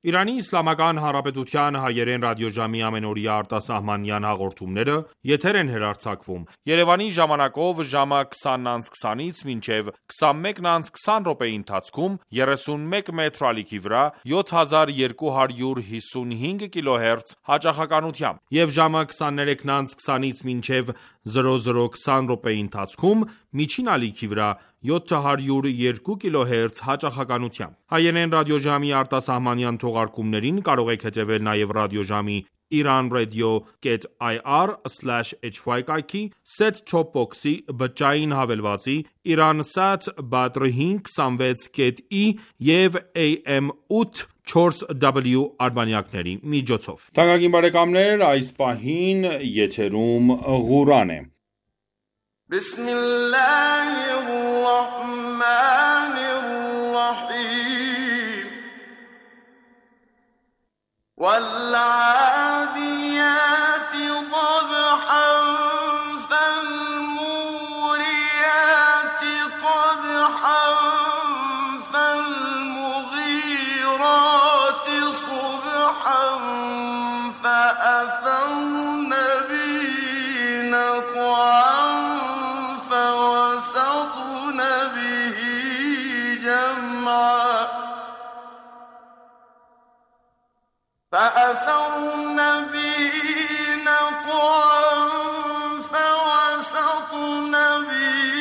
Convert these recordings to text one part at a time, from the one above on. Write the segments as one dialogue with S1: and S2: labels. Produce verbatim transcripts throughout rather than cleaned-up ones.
S1: Իրանի Իսլամական Հանրապետության հայերեն ռադիոժամի ամենօրյա արտասահմանյան հաղորդումները եթեր են հեռարձակվում Երևանի ժամանակով ժամը քսանից քսանից մինչև քսանմեկը քսան րոպեի ընթացքում երեսունմեկ մետր ալիքի վրա յոթ հազար երկու հարյուր հիսունհինգ կիլոհերց հաճախականությամբ եւ ժամը քսաներեքը քսանից մինչև զրո զրո քսան րոպեի ընթացքում միջին ալիքի վրա յոթ հարյուր երկու կիլոհերց հաճախականությամբ։ Հայերեն ռադիոժամի արտասահմանյան թողարկումներին կարող եք հետևել նաև ռադիոժամի iranradio.ir slash hy կայքի, set-top box-ի բջջային հավելվածի, Iransat Badr հինգ հիսունվեց կետ ի և A M ութ չորս W արբանյակների միջոցով։ Թանկագին բարեկամներ, այս պահին եթերում Ղուրան է։
S2: بسم الله الرحمن الرحيم والعاديات ضبحا فالموريات قدحا فالمغيرات صبحا فأثرن به نقعا فأثرن به نقعا فوسطن به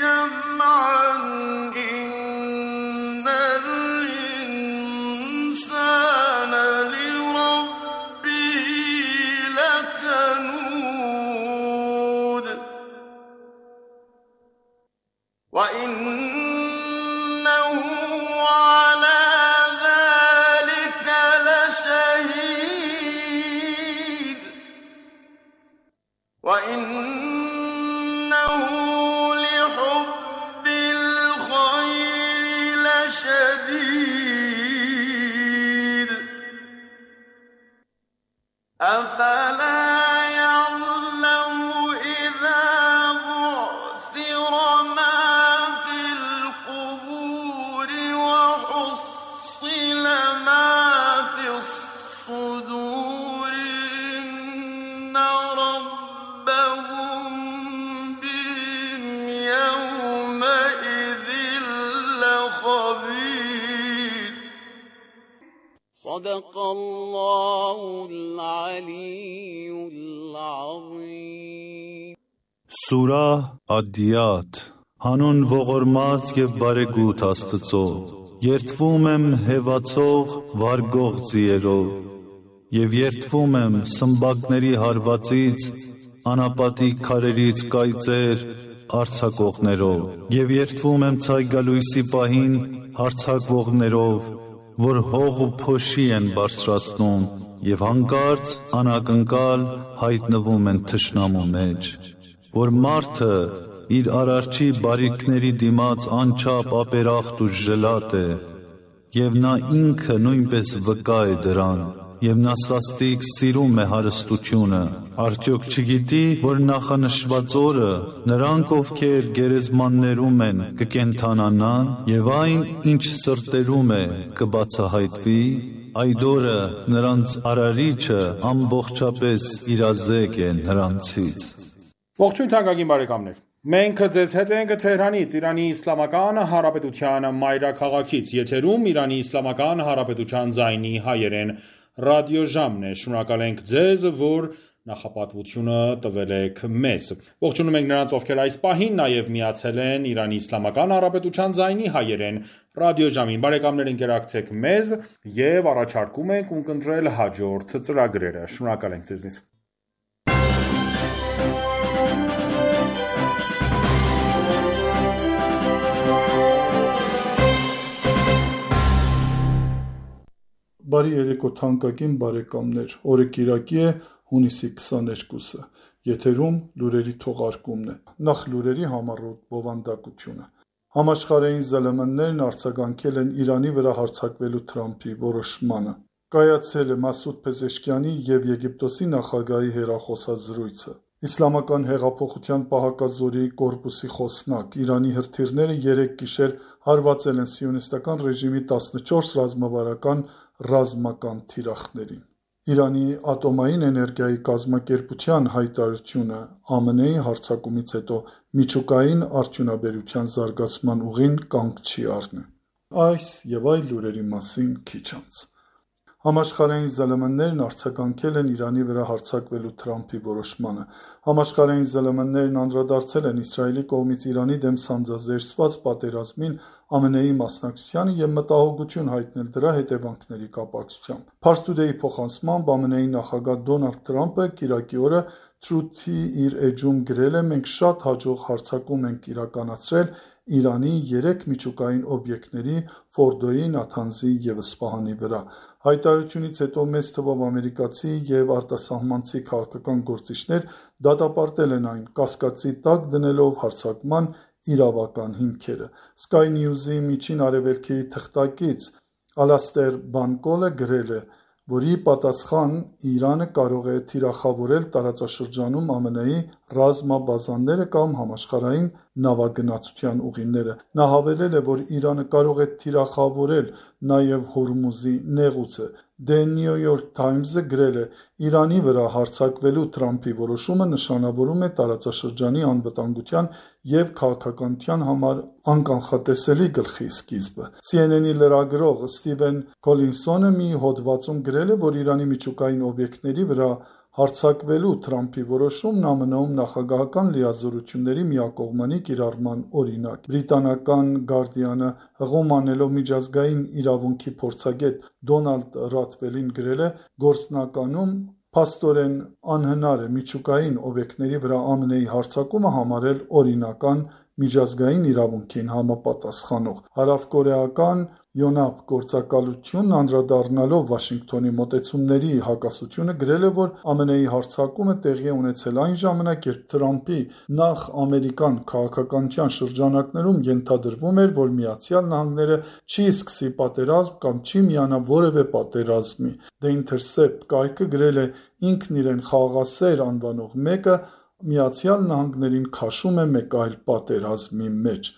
S2: جمعا إن الإنسان لربه لكنود وإنه على وإنه لحب الخير لشديد أفلا يعلم إذا بعثر ما في القبور وحصل ما في الصدور إن ربهم بهم يومئذ لخبير صدق الله العلي العظيم
S3: Սուրահ Ադիաթ Հանուն ողորմած և բարեգութ Աստծո Երդվում եմ հեվացող վարգող ձիերով և երդվում եմ սմբակների հարվածից, անապատիկ քարերից կայծեր արձակողներով և երդվում եմ ցայգալույսի պահին հարձակվողներով, որ հող ու փոշի են բարձրացնում և հանկարծ անակնկալ հայտնվում են թշնամու մեջ, որ մարդը իր արարչի բարիքների դիմաց անչափ ապերախտ ու ժլատ է, և նա ինքը նույնպես վկա է դրան, և նա սաստիկ սիրում է հարստությունը, արդյոք չգիտի, որ նախանշված օրը նրանք, ովքեր գերեզմաններում են, կկենդանանան, և այն, ինչ սրտերում է, կբացահայտվի, այդ օրը նրանց արարիչը ամբողջապես իրազեկ է նրանցից։
S1: Ողջույն թանկագին բարեկամներ։ Մենք ձեզ հետ ենք Թեհրանից, Իրանի Իսլամական Հանրապետության մայրաքաղաքից, եթերում Իրանի Իսլամական Հանրապետության ձայնի հայերեն ռադիոժամն է։ Շնորհակալ ենք ձեզ, որ նախապատվությունը տվել եք մեզ։ Ողջունում ենք նրանց, ովքեր այս պահին նաև միացել են Իրանի Իսլամական Հանրապետության ձայնի հայերեն ռադիոժամին։ Բարեկամներ, ընկերակցեք մեզ եւ առաջարկում ենք ունկնդրել հաջորդ ծրագրերը։ Շնորհակալ ենք ձեզնից։
S4: Բարի երեկո թանկագին բարեկամներ, օրը կիրակի է հունիսի քսաներկուսը, եթերում լուրերի թողարկումն է, նախ լուրերի համառոտ բովանդակությունը։ Համաշխարհային զլմ ն-ներն արձագանքել են Իրանի վրա հարձակվելու Թրամփի որոշմանը։ Կայացել է Մասուդ Փեզեշքյանի և Եգիպտոսի նախագահի հեռախոսազրույցը։ Իսլամական հեղափոխության պահակազորի կորպուսի խոսնակ Իրանի հրթիռները երեկ գիշեր հարվածել են սիոնիստական ռեժիմի տասնչորս ռազմավարական ռազմական թիրախներին։ Իրանի ատոմային էներգիայի կազմակերպության հայտարարությունը Α M N-ի հարձակումից հետո միջուկային արդյունաբերության զարգացման ուղին կանգ չի առնի։ Այս և այլ լուրերի մասին քիչ անց։ Համաշխարհային Զ Л M-ներն արձագանքել են Իրանի վրա հարձակվելու Թրամփի որոշմանը։ Համաշխարհային Զ Л M-ներն անդրադարձել են Իսրայելի կողմից Իրանի դեմ սանձազերծված պատերազմին Ა M N-ի մասնակցությանը և մտահոգություն հայտնել դրա հետևանքների կապակցությամբ։ Pars Today-ի փոխանցմամբ Ა M N-ի նախագահ Դոնալդ Թրամփը կիրակի օրը Truth-ի իր էջում գրել է. «Մենք շատ հաջող հարձակում ենք իրականացրել Իրանի երեք միջուկային օբյեկտների՝ Ֆորդոյի, Նաթանզի և Սպահանի վրա»։ Հայտարարությունից հետո մեծ թվով ամերիկացի և արտասահմանցի քաղաքական գործիչներ դատապարտել են այն՝ կասկածի տակ դնելով հարձակման իրավական հիմքերը։ Sky News-ի Միջին Արևելքի թղթակից Ալաստեր Բանկոլը գրել է, որի պատասխան Իրանը կարող է թիրախավորել տարածաշրջանում Ა M N-ի ռազմաբազաները կամ համաշխարհային նավագնացության ուղիները։ Նա հավելել է, որ Իրանը կարող է թիրախավորել նաև Հորմուզի նեղուցը։ The New York Times-ը գրել է. «Իրանի վրա հարձակվելու Թրամփի որոշումը նշանավորում է տարածաշրջանի անվտանգության և քաղաքականության համար անկանխատեսելի գլխի սկիզբը»։ C N N-ի լրագրող Ստիվեն Քոլինսոնը մի հոդվածում գրել է, որ Իրանի միջուկային օբյեկտների վրա հարձակվելու Թրամփի որոշումն Ა M N-ում նախագահական լիազորությունների միակողմանի կիրառման օրինակ է։ Բրիտանական Guardian-ը հղում անելով միջազգային իրավունքի փորձագետ Դոնալդ Ռաթվելին գրել է. «Գործնականում փաստորեն անհնար է միջուկային օբյեկտների վրա Ა M N-ի հարձակումը համարել օրինական միջազգային իրավունքին համապատասխանող»։ Հարավկորեական Յոնհապ գործակալությունն անդրադառնալով Վաշինգտոնի մոտեցումների հակասությունը գրել է, որ Ა M N-ի հարձակումը տեղի է ունեցել այն ժամանակ, երբ Թրամփի նախ ամերիկյան քաղաքականության շրջանակներում ենթադրվում էր, որ Միացյալ Նահանգները չի սկսի պատերազմ կամ չի միանա որևէ պատերազմի։ The Intercept կայքը գրել է. «Ինքն իրեն խաղաղասեր անվանող մեկը Միացյալ Նահանգներին քաշում է մեկ այլ պատերազմի մեջ»։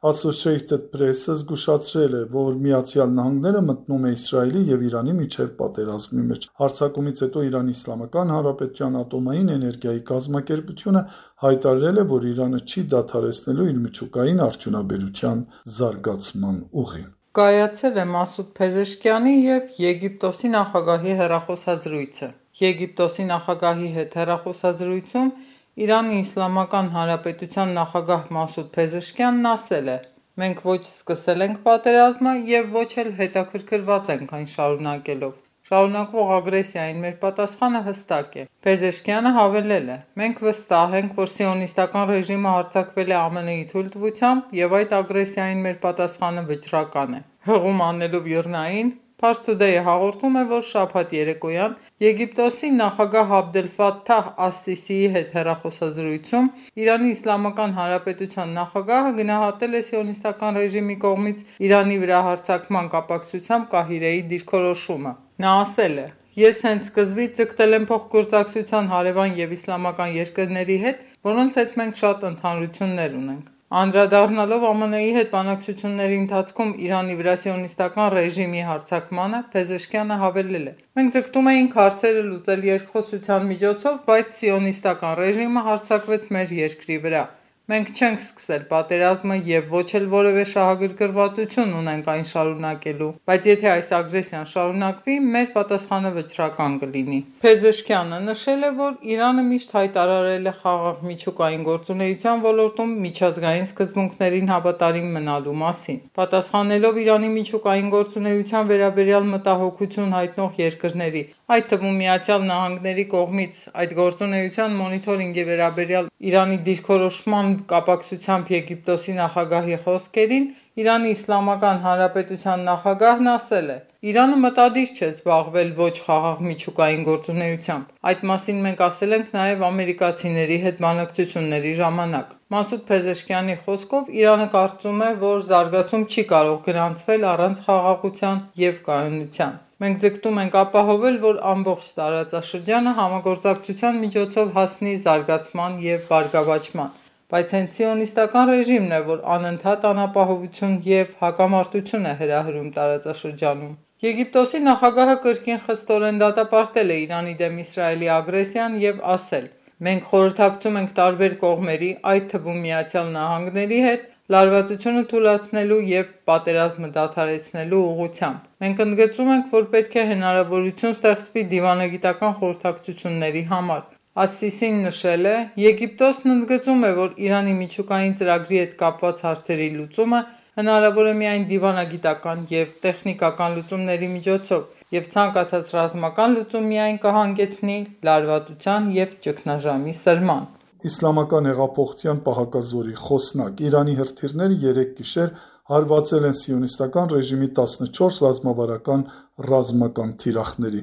S4: Associated Press-ը զգուշացրել է, որ Միացյալ Նահանգները մտնում է Իսրայելի և Իրանի միջև պատերազմի մեջ։ Հարձակումից հետո Իրանի Իսլամական Հանրապետության ատոմային էներգիայի կազմակերպությունը հայտարարել է, որ Իրանը չի դադարեցնելու իր միջուկային արդյունաբերության զարգացման ուղին։
S5: Կայացել է Մասուդ Փեզեշքյանի և Եգիպտոսի նախագահի հեռախոսազրույցը։ Եգիպտոսի նախագահի հետ հեռախոսազրույցում Իրանի Իսլամական Հանրապետության նախագահ Մասուդ Փեզեշքյանն ասել է. «Մենք ոչ սկսել ենք պատերազմը և ոչ էլ հետաքրքրված ենք այն շարունակելով։ Շարունակվող ագրեսիային մեր պատասխանը հստակ է»։ Փեզեշքյանը հավելել է. «Մենք վստահ ենք, որ սիոնիստական ռեժիմը հարձակվել է Ა M N-ի թույլտվությամբ և այդ ագրեսիային մեր պատասխանը վճռական է»։ Հղում անելով ԻՌՆԱ-ին, Pars Today-ը հաղորդում է, որ շաբաթ երեկոյան Եգիպտոսի նախագահ Աբդել Ֆաթահ Աս-Սիսիի հետ հեռախոսազրույցում Իրանի Իսլամական Հանրապետության նախագահը գնահատել է սիոնիստական ռեժիմի կողմից Իրանի վրա հարձակման կապակցությամբ Կահիրեի դիրքորոշումը։ Նա ասել է. «Ես հենց սկզբից ձգտել եմ փոխգործակցության հարևան և իսլամական երկրների հետ, որոնց հետ մենք շատ ընդհանրություններ ունենք»։ Անդրադառնալով Ა M N-ի հետ բանակցությունների ընթացքում Իրանի վրա սիոնիստական ռեժիմի հարձակմանը, Փեզեշքյանը հավելել է. «Մենք ձգտում էինք հարցերը լուծել երկխոսության միջոցով, բայց սիոնիստական ռեժիմը հարձակվեց մեր երկրի վրա։ Մենք չենք սկսել պատերազմը և ոչ էլ որևէ շահագրգռվածություն ունենք այն շարունակելու, բայց եթե այս ագրեսիան շարունակվի, մեր պատասխանը վճռական կլինի»։ Փեզեշքյանը նշել է, որ Իրանը միշտ հայտարարել է խաղաղ միջուկային գործունեության ոլորտում միջազգային սկզբունքներին հավատարիմ մնալու մասին։ Պատասխանելով Իրանի միջուկային գործունեության վերաբերյալ մտահոգություն հայտնող երկրների, այդ թվում Միացյալ Նահանգների կողմից այդ գործունեության մոնիթորինգի վերաբերյալ Իրանի դիրքորոշման կապակցությամբ Եգիպտոսի նախագահի խոսքերին, Իրանի Իսլամական Հանրապետության նախագահն ասել է. «Իրանը մտադիր չէ զբաղվել ոչ խաղաղ միջուկային գործունեությամբ։ Այդ մասին մենք ասել ենք նաև ամերիկացիների հետ բանակցությունների ժամանակ»։ Մասուդ Փեզեշքյանի խոսքով Իրանը կարծում է, որ զարգացում չի կարող գրանցվել առանց խաղաղության և կայունության։ «Մենք ձգտում ենք ապահովել, որ ամբողջ տարածաշրջանը համագործակցության միջոցով հասնի զարգացման և բարգավաճման, բայց հենց սիոնիստական ռեժիմն է, որ անընդհատ անապահովություն և հակամարտություն է հրահրում տարածաշրջանում»։ Եգիպտոսի նախագահը կրկին խստորեն դատապարտել է Իրանի դեմ Իսրայելի ագրեսիան և ասել. «Մենք խորհրդակցում ենք տարբեր կողմերի, այդ թվում Միացյալ Նահանգների հետ, լարվածությունը թուլացնելու և պատերազմը դադարեցնելու ուղղությամբ։ Մենք ընդգծում ենք, որ պետք է հնարավորություն ստեղծվի դիվանագիտական խորհրդակցությունների համար»։ Աս-Սիսին նշել է. «Եգիպտոսն ընդգծում է, որ Իրանի միջուկային ծրագրի հետ կապված հարցերի լուծումը հնարավոր է միայն դիվանագիտական և տեխնիկական լուծումների միջոցով, և ցանկացած ռազմական լուծում միայն կհանգեցնի լարվածության և ճգնաժամի սրման»։
S4: Իսլամական հեղափոխության պահակազորի խոսնակ Իրանի հրթիռները երեկ գիշեր հարվածել են սիոնիստական ռեժիմի տասնչորս ռազմավարական ռազմական թիրախների։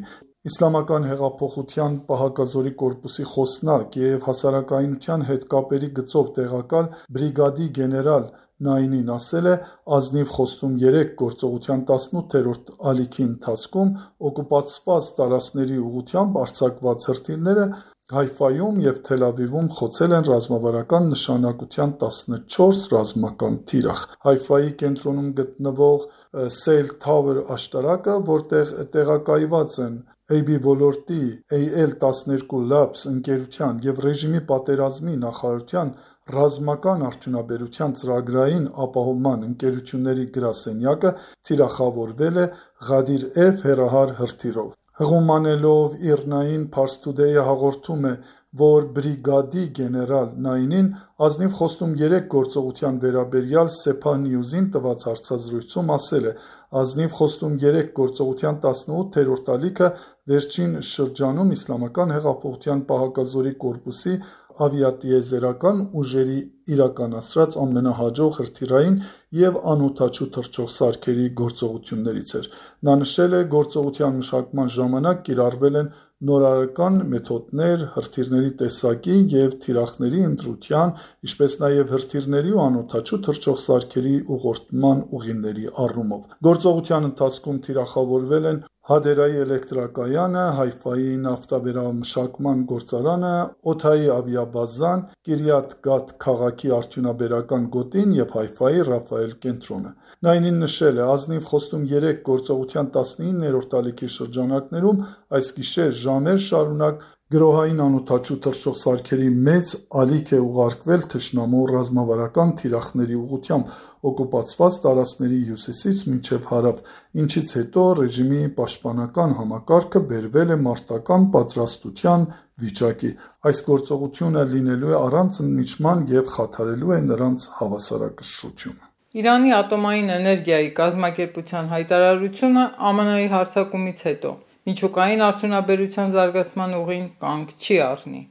S4: Իսլամական հեղափոխության պահակազորի կորպուսի խոսնակ և հասարակայնության հետ կապերի գծով տեղակալ բրիգադի գեներալ Նայինին ասել է. «Ազնիվ խոստում երեք գործողության տասնութերորդ ալիքի ընթացքում օկուպացված տարածքների ուղղությամբ արձակված հրթիռները Հայֆայում և Թել Ավիվում խոցել են ռազմավարական նշանակության տասնչորս ռազմական թիրախ»։ Հայֆայի կենտրոնում գտնվող Սեյլ Թավեր աշտարակը, որտեղ տեղակայված են Էյբի ոլորտի Էյ Էլ տասներկու Labs ընկերության և ռեժիմի պատերազմի նախարարության ռազմական արդյունաբերության ծրագրային ապահովման ընկերությունների գրասենյակը, թիրախավորվել է Ղադիր Էֆ հեռահար հրթիռով։ Հղում անելով ԻՌՆԱ-ին, Փարս Թուդեյը հաղորդում է, որ բրիգադի գեներալ Նայինին ազնիվ խոստում երեք գործողության վերաբերյալ Սեփահ Նյուզին տված հարցազրույցում ասել է. «Ազնիվ խոստում երեք գործողության տասնութերորդ ալիքը վերջին շրջանում Իսլամական հեղափոխության պահակազորի կորպուսի ավիատիեզերական ուժերի իրականացրած ամենահաջող հրթիռային և անօդաչու թռչող սարքերի գործողություններից էր»։ Նա նշել է. «Գործողության մշակման ժամանակ կիրառվել են նորարարական մեթոդներ հրթիռների տեսակի և թիրախների ընտրության, ինչպես նաև հրթիռների ու անօդաչու թռչող սարքերի ուղղորդման ուղիների առումով»։ Գործողության ընթացքում թիրախավորվել են Հադերայի էլեկտրակայանը, Հայֆայի նավթավերամշակման գործարանը, օդային ավիաբազան, Կիրյաթ Գաթ քաղաքի արդյունաբերական գոտին և Հայֆայի Ռաֆայել կենտրոնը։ Նայինին նշել է. «Ազնիվ խոստում երեք գործողության տասնիններորդ ալիքի շրջանակներում այս գիշեր ժամեր շարունակ գրոհային անօդաչու թռչող սարքերի մեծ ալիք է ուղարկվել թշնամու ռազմավարական թիրախների ուղղությամբ օկուպացված տարածքների հյուսիսից մինչև հարավ, ինչից հետո ռեժիմի պաշտպանական համակարգը բերվել է մարտական պատրաստության վիճակի։ Այս գործողությունը լինելու է առանց ընդմիջման և խաթարելու է նրանց հավասարակշռությունը»։
S5: Իրանի ատոմային էներգիայի կազմակերպության հայտարարությունը Α Մ Ն-ի հարձակումից հետո միջուկային արդյունաբերության զարգացման ուղին կանգ չի առնի։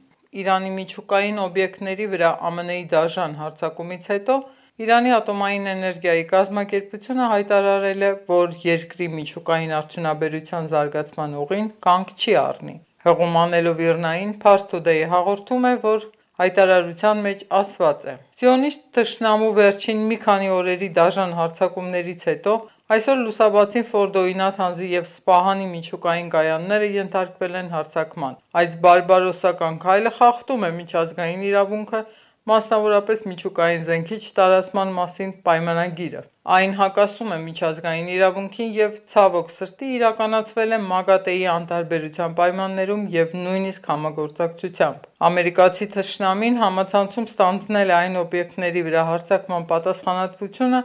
S5: Իրանի միջուկային օբյեկտների վրա Α Մ Ն-ի դաժան հարձակումից հետո Իրանի ատոմային էներգիայի կազմակերպությունը հայտարարել է, որ երկրի միջուկային արդյունաբերության զարգացման ուղին կանգ չի առնի։ Հղում անելով ԻՌՆԱ-ին, Փարս Թուդեյը հաղորդում է, որ հայտարարության մեջ ասված է. «Սիոնիստ թշնամու վերջին մի քանի օրերի դաժան հարձակումներից հետո այսօր լուսաբացին Ֆորդոյի Նաթանզի և Սպահանի միջուկային կայանները ենթարկվել են հարձակման։ Այս բարբարոսական քայլը խախտում է միջազգային իրավունքը, մասնավորապես միջուկային զենքի չտարածման մասին պայմանագիրը։ Այն հակասում է միջազգային իրավունքին և, ցավոք սրտի, իրականացվել է ՄԱԳԱՏԷ-ի անտարբերության պայմաններում և նույնիսկ համագործակցությամբ։ Ամերիկացի թշնամին համացանցում ստանձնել է այն օբյեկտների վրա հարձակման պատասխանատվությունը,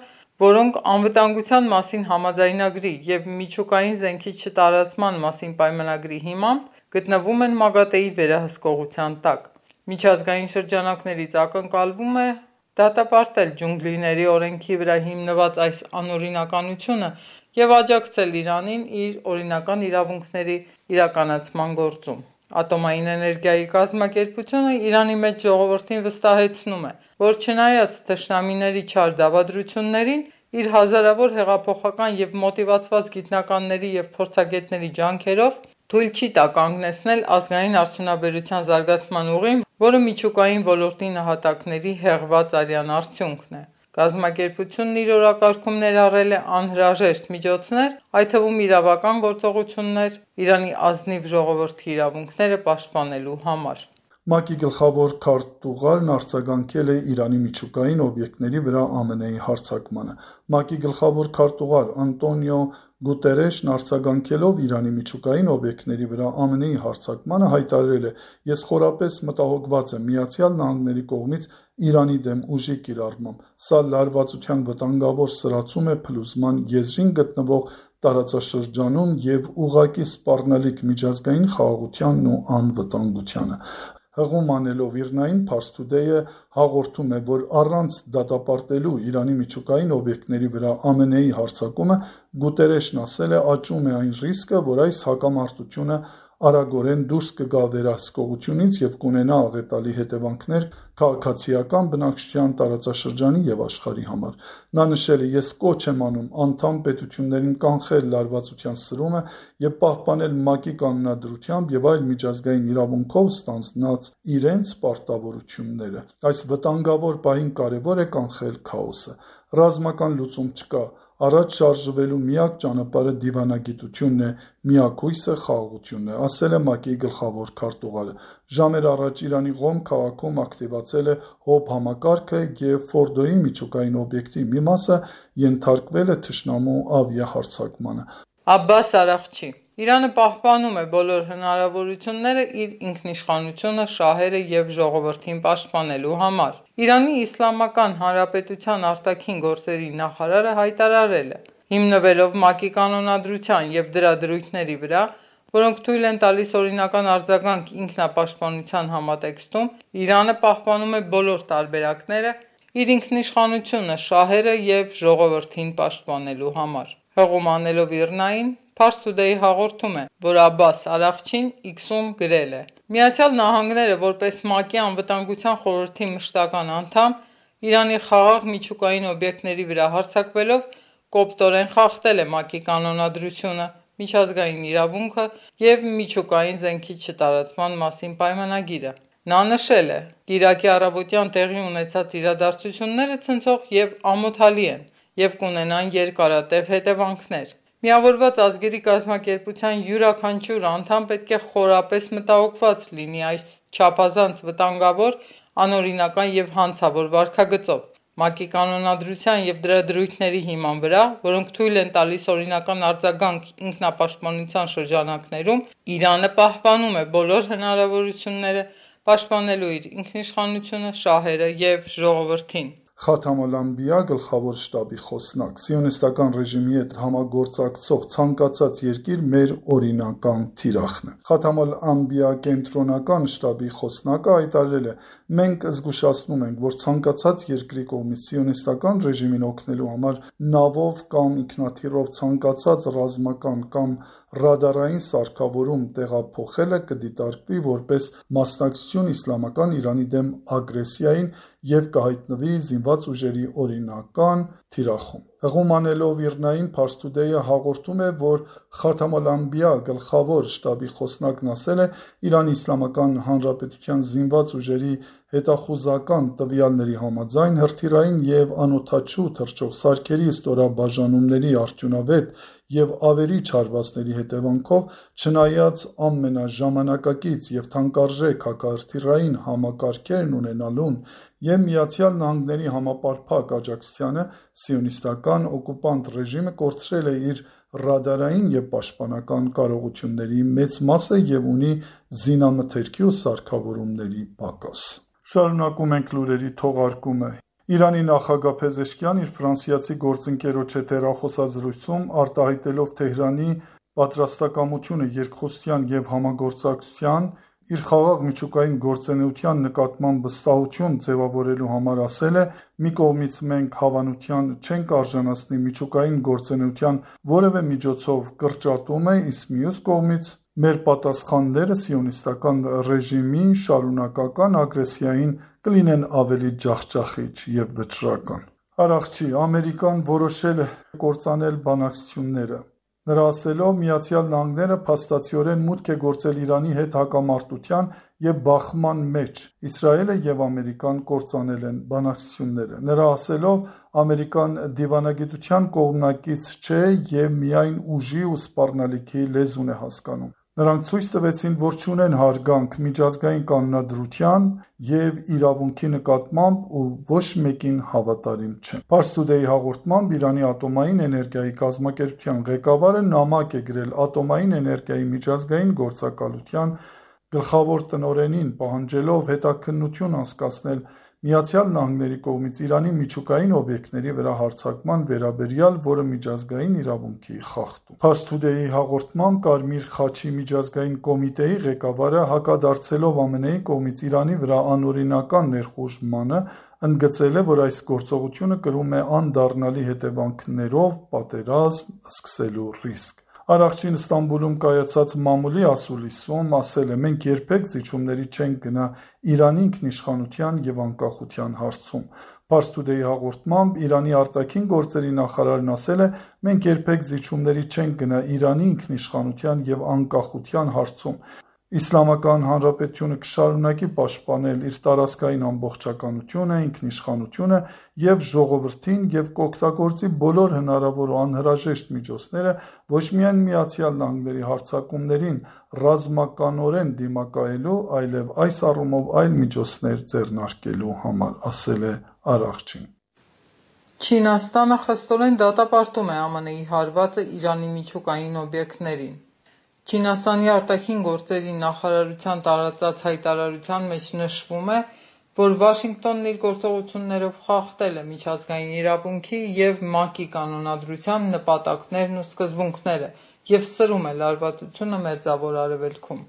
S5: որոնք Անվտանգության մասին համաձայնագրի և Միջուկային զենքի չտարածման մասին պայմանագրի հիմամբ գտնվում են ՄԱԳԱՏԷ-ի վերահսկողության տակ։ Միջազգային շրջանակներից ակնկալվում է դատապարտել Ջունգլիների օրենքի վրա հիմնված այս անօրինականությունը և աջակցել Իրանին իր օրինական իրավունքների իրականացման գործում։ Ատոմային էներգիայի կազմակերպությունը Իրանի մեծ ժողովրդին վստահեցնում է, որ չնայած թշնամիների չար դավադրություններին, իր հազարավոր հեղափոխական և մոտիվացված գիտնականների և փորձագետների ջանքերով թույլ չի տա կանգնեցնել ազգային արդյունաբերության զարգացման ուղին, որը միջուկային ոլորտի նահատակների հեղված արյան արդյունքն է։ Կազմակերպությունն իր օրակարգում ներառել է անհրաժեշտ միջոցներ, այդ թվում իրավական գործողություններ՝ Իրանի ազնիվ ժողովրդի իրավունքները պաշտպանելու համար։
S4: ՄԱԿ-ի գլխավոր քարտուղարն արձագանքել է Իրանի միջուկային օբյեկտների վրա ԱՄՆ-ի հարձակմանը։ ՄԱԿ-ի գլխավոր քարտուղար Անտոնիո Գուտերեշն արձագանքելով Իրանի միջուկային օբյեկտների վրա ԱՄՆ-ի հարձակմանը հայտարարել է. «Ես խորապես մտահոգված եմ Միացյալ Նահանգների կողմից Իրանի դեմ ուժի կիրառմամբ։ Սա լարվածության վտանգավոր սրացում է փլուզման եզրին գտնվող տարածաշրջանում և ուղղակի սպառնալիք միջազգային խաղաղությանն ու անվտանգությանը»։ Հղում անելով ԻՌՆԱ-ին, Pars Today-ը հաղորդում է, որ առանց դատապարտելու Իրանի միջուկային օբյեկտների վրա ԱՄՆ-ի հարձակումը, Գուտերեշն ասել է, աճում է այն ռիսկը, որ այս հակամարտությունը արագորեն դուրս կգա վերահսկողությունից և կունենա աղետալի հետևանքներ քաղաքացիական բնակչության, տարածաշրջանի և աշխարհի համար։ Նա նշել է. «Ես կոչ եմ անում անդամ պետություններին կանխել լարվածության սրումը և պահպանել ՄԱԿ-ի կանոնադրությամբ և այլ միջազգային իրավունքով ստանձնած իրենց պարտավորությունները։ Այս վտանգավոր պահին կարևոր է կանխել քաոսը։ Ռազմական լուծում չկա։ Առաջ շարժվելու միակ ճանապարհը դիվանագիտությունն է, միակույսը խաղաղությունն է», ասել է ՄԱԿ-ի գլխավոր քարտուղարը։ Ժամեր առաջ Իրանի Ղոմ քաղաքում ակտիվացել է ՀՕՊ համակարգը և Ֆորդոյի միջուկային օբյեկտի մի մասը ենթարկվել է թշնամու ավիահարձակմանը։
S5: Աբբաս Արաղչի. Իրանը պահպանում է բոլոր հնարավորությունները իր ինքնիշխանությունը, շահերը և ժողովրդին պաշտպանելու համար։ Իրանի Իսլամական Հանրապետության արտաքին գործերի նախարարը հայտարարել է. «Հիմնվելով ՄԱԿ-ի կանոնադրության և դրա դրույթների վրա, որոնք թույլ են տալիս օրինական արձագանք ինքնապաշտպանության համատեքստում, Իրանը պահպանում է բոլոր տարբերակները իր ինքնիշխանությունը, շահերը և ժողովրդին պաշտպանելու համար»։ Հղում անելով ԻՌՆԱ-ին, Pars Today հաղորդում է, որ Աբբաս Արաղչին X-ում գրել է. «Միացյալ Նահանգները, որպես ՄԱԿ-ի Անվտանգության խորհրդի մշտական անդամ, Իրանի խաղաղ միջուկային օբյեկտների վրա հարձակվելով կոպտորեն խախտել է ՄԱԿ-ի կանոնադրությունը, միջազգային իրավունքը և միջուկային զենքի չտարածման մասին պայմանագիրը»։ Նա նշել է. «Կիրակի առավոտյան տեղի ունեցած իրադարձությունները ցնցող և ամոթալի են և կունենան երկարատև հետևանքներ։ Միավորված ազգերի կազմակերպության յուրաքանչյուր անդամ պետք է խորապես մտահոգված լինի այս չափազանց վտանգավոր, անօրինական և հանցավոր վարքագծով։ ՄԱԿ-ի կանոնադրության և դրա դրույթների հիման վրա, որոնք թույլ են տալիս օրինական արձագանք ինքնապաշտպանության շրջանակներում, Իրանը պահպանում է բոլոր հնարավորությունները պաշտպանելու իր ինքնիշխանությունը, շահերը և ժողովրդին»։
S4: Խաթամ ալ-Անբիա գլխավոր շտաբի խոսնակ. «Սիոնիստական ռեժիմի հետ համագործակցող ցանկացած երկիր մեր օրինական թիրախն է»։ Խաթամ ալ-Անբիա կենտրոնական շտաբի խոսնակը հայտարարել է. «Մենք զգուշացնում ենք, որ ցանկացած երկրի կողմից սիոնիստական ռեժիմին օգնելու համար նավով կամ ինքնաթիռով ցանկացած ռազմական կամ ռադարային սարքավորում տեղափոխելը կդիտարկվի որպես մասնակցություն Իսլամական Իրանի դեմ ագրեսիային և կհայտնվի զինված ուժերի օրինական թիրախում»։ Հղում անելով ԻՌՆԱ-ին, Pars Today-ը հաղորդում է, որ Խաթամ ալ-Անբիա գլխավոր շտաբի խոսնակն ասել է. «Իրանի Իսլամական Հանրապետության զինված ուժերի հետախուզական տվյալների համաձայն, հրթիռային և անօդաչու թռչող սարքերի ստորաբաժանումների արդյունավետ և ավերիչ հարվածների հետևանքով, չնայած ամենաժամանակակից և թանկարժեք հակահրթիռային համակարգերն ունենալուն և Միացյալ Նահանգների համապարփակ աջակցությանը, սիոնիստական օկուպանտ ռեժիմը կորցրել է իր ռադարային և պաշտպանական կարողությունների մեծ մասը և ունի զինամթերքի ու սարքավորումների պակաս»։ Շարունակում ենք լուրերի թողարկումը։ Իրանի նախագահ Փեզեշքիան իր ֆրանսիացի գործընկերոջ հետ հեռախոսազրույցում արտահայտելով Թեհրանի պատրաստակամությունը երկխոսության և համագործակցության, իր խաղաղ միջուկային գործունեության նկատմամբ վստահություն ձևավորելու համար ասել է. «Մի կողմից մենք հավանության չենք արժանացնի միջուկային գործունեության որևէ միջոցով կրճատումը, իսկ մյուս կողմից մեր պատասխանները սիոնիստական ռեժիմի շարունակական ագրեսիային կլինեն ավելի ջախջախիչ և վճռական»։ Արաղչի. «Ամերիկան որոշել է կործանել բանակցությունները»։ Նրա ասելով, Միացյալ Նահանգները փաստացիորեն մուտք է գործել Իրանի հետ հակամարտության և բախման մեջ, Իսրայելը և Ամերիկան կործանել են բանակցությունները։ Նրա ասելով, Ամերիկան դիվանագիտության կողմնակից չէ և միայն ուժի ու սպառնալիքի լեզուն է հասկանում։ Նրանք ցույց տվեցին, որ չունեն հարգանք միջազգային կանոնադրության և իրավունքի նկատմամբ ու ոչ մեկին հավատարիմ չեն։ Pars Today հաղորդմամբ Իրանի ատոմային էներգիայի կազմակերպության ղեկավարը նամակ է գրել ատոմային էներգիայի միջազգային գործակալության գլխավոր տնօրենին, պահանջելով հետաքննություն անցկացնել Միացյալ Նահանգների կողմից Իրանի միջուկային օբյեկտների վրա հարձակման վերաբերյալ, որը միջազգային իրավունքի խախտում է։ Pars Today հաղորդմամբ Կարմիր խաչի միջազգային կոմիտեի ղեկավարը, հակադարձելով ԱՄՆ-ի կողմից Իրանի վրա անօրինական ներխուժմանը, ընդգծել է, որ այս գործողությունը կրում է անդառնալի հետևանքներով պատերազմ սկսելու ռիսկ։ Առավջին Ստամբուլում կայացած մամուլի ասուլիսում ասել է. «Մենք երբեք զիջումների չենք գնա Իրանի ինքնիշխանության և անկախության հարցում»։ Pars Today հաղորդմամբ Իրանի արտաքին գործերի նախարարն ասել է. «Մենք երբեք զիջումների չենք գնա Իրանի ինքնիշխանության և անկախության հարցում։ Իսլամական Հանրապետությունը կշարունակի պաշտպանել իր տարածքային ամբողջականությունը, ինքնիշխանությունը և ժողովրդին և կօգտագործի բոլոր հնարավոր ու անհրաժեշտ միջոցները ոչ միայն Միացյալ Նահանգների հարձակումներին ռազմականորեն դիմակայելու, այլև այս առումով այլ միջոցներ ձեռնարկելու համար», ասել է Առավջին։
S5: Չինաստանը խստորեն դատապարտում է ԱՄՆ-ի հարվածը Իրանի միջուկային օբյեկտներին։ Չինաստանի արտաքին գործերի նախարարության տարածած հայտարարության մեջ նշվում է, որ Վաշինգտոնն իր գործողություններով խախտել է միջազգային իրավունքի և ՄԱԿ-ի կանոնադրության նպատակներն ու սկզբունքները և սրում է լարվածությունը Մերձավոր Արևելքում։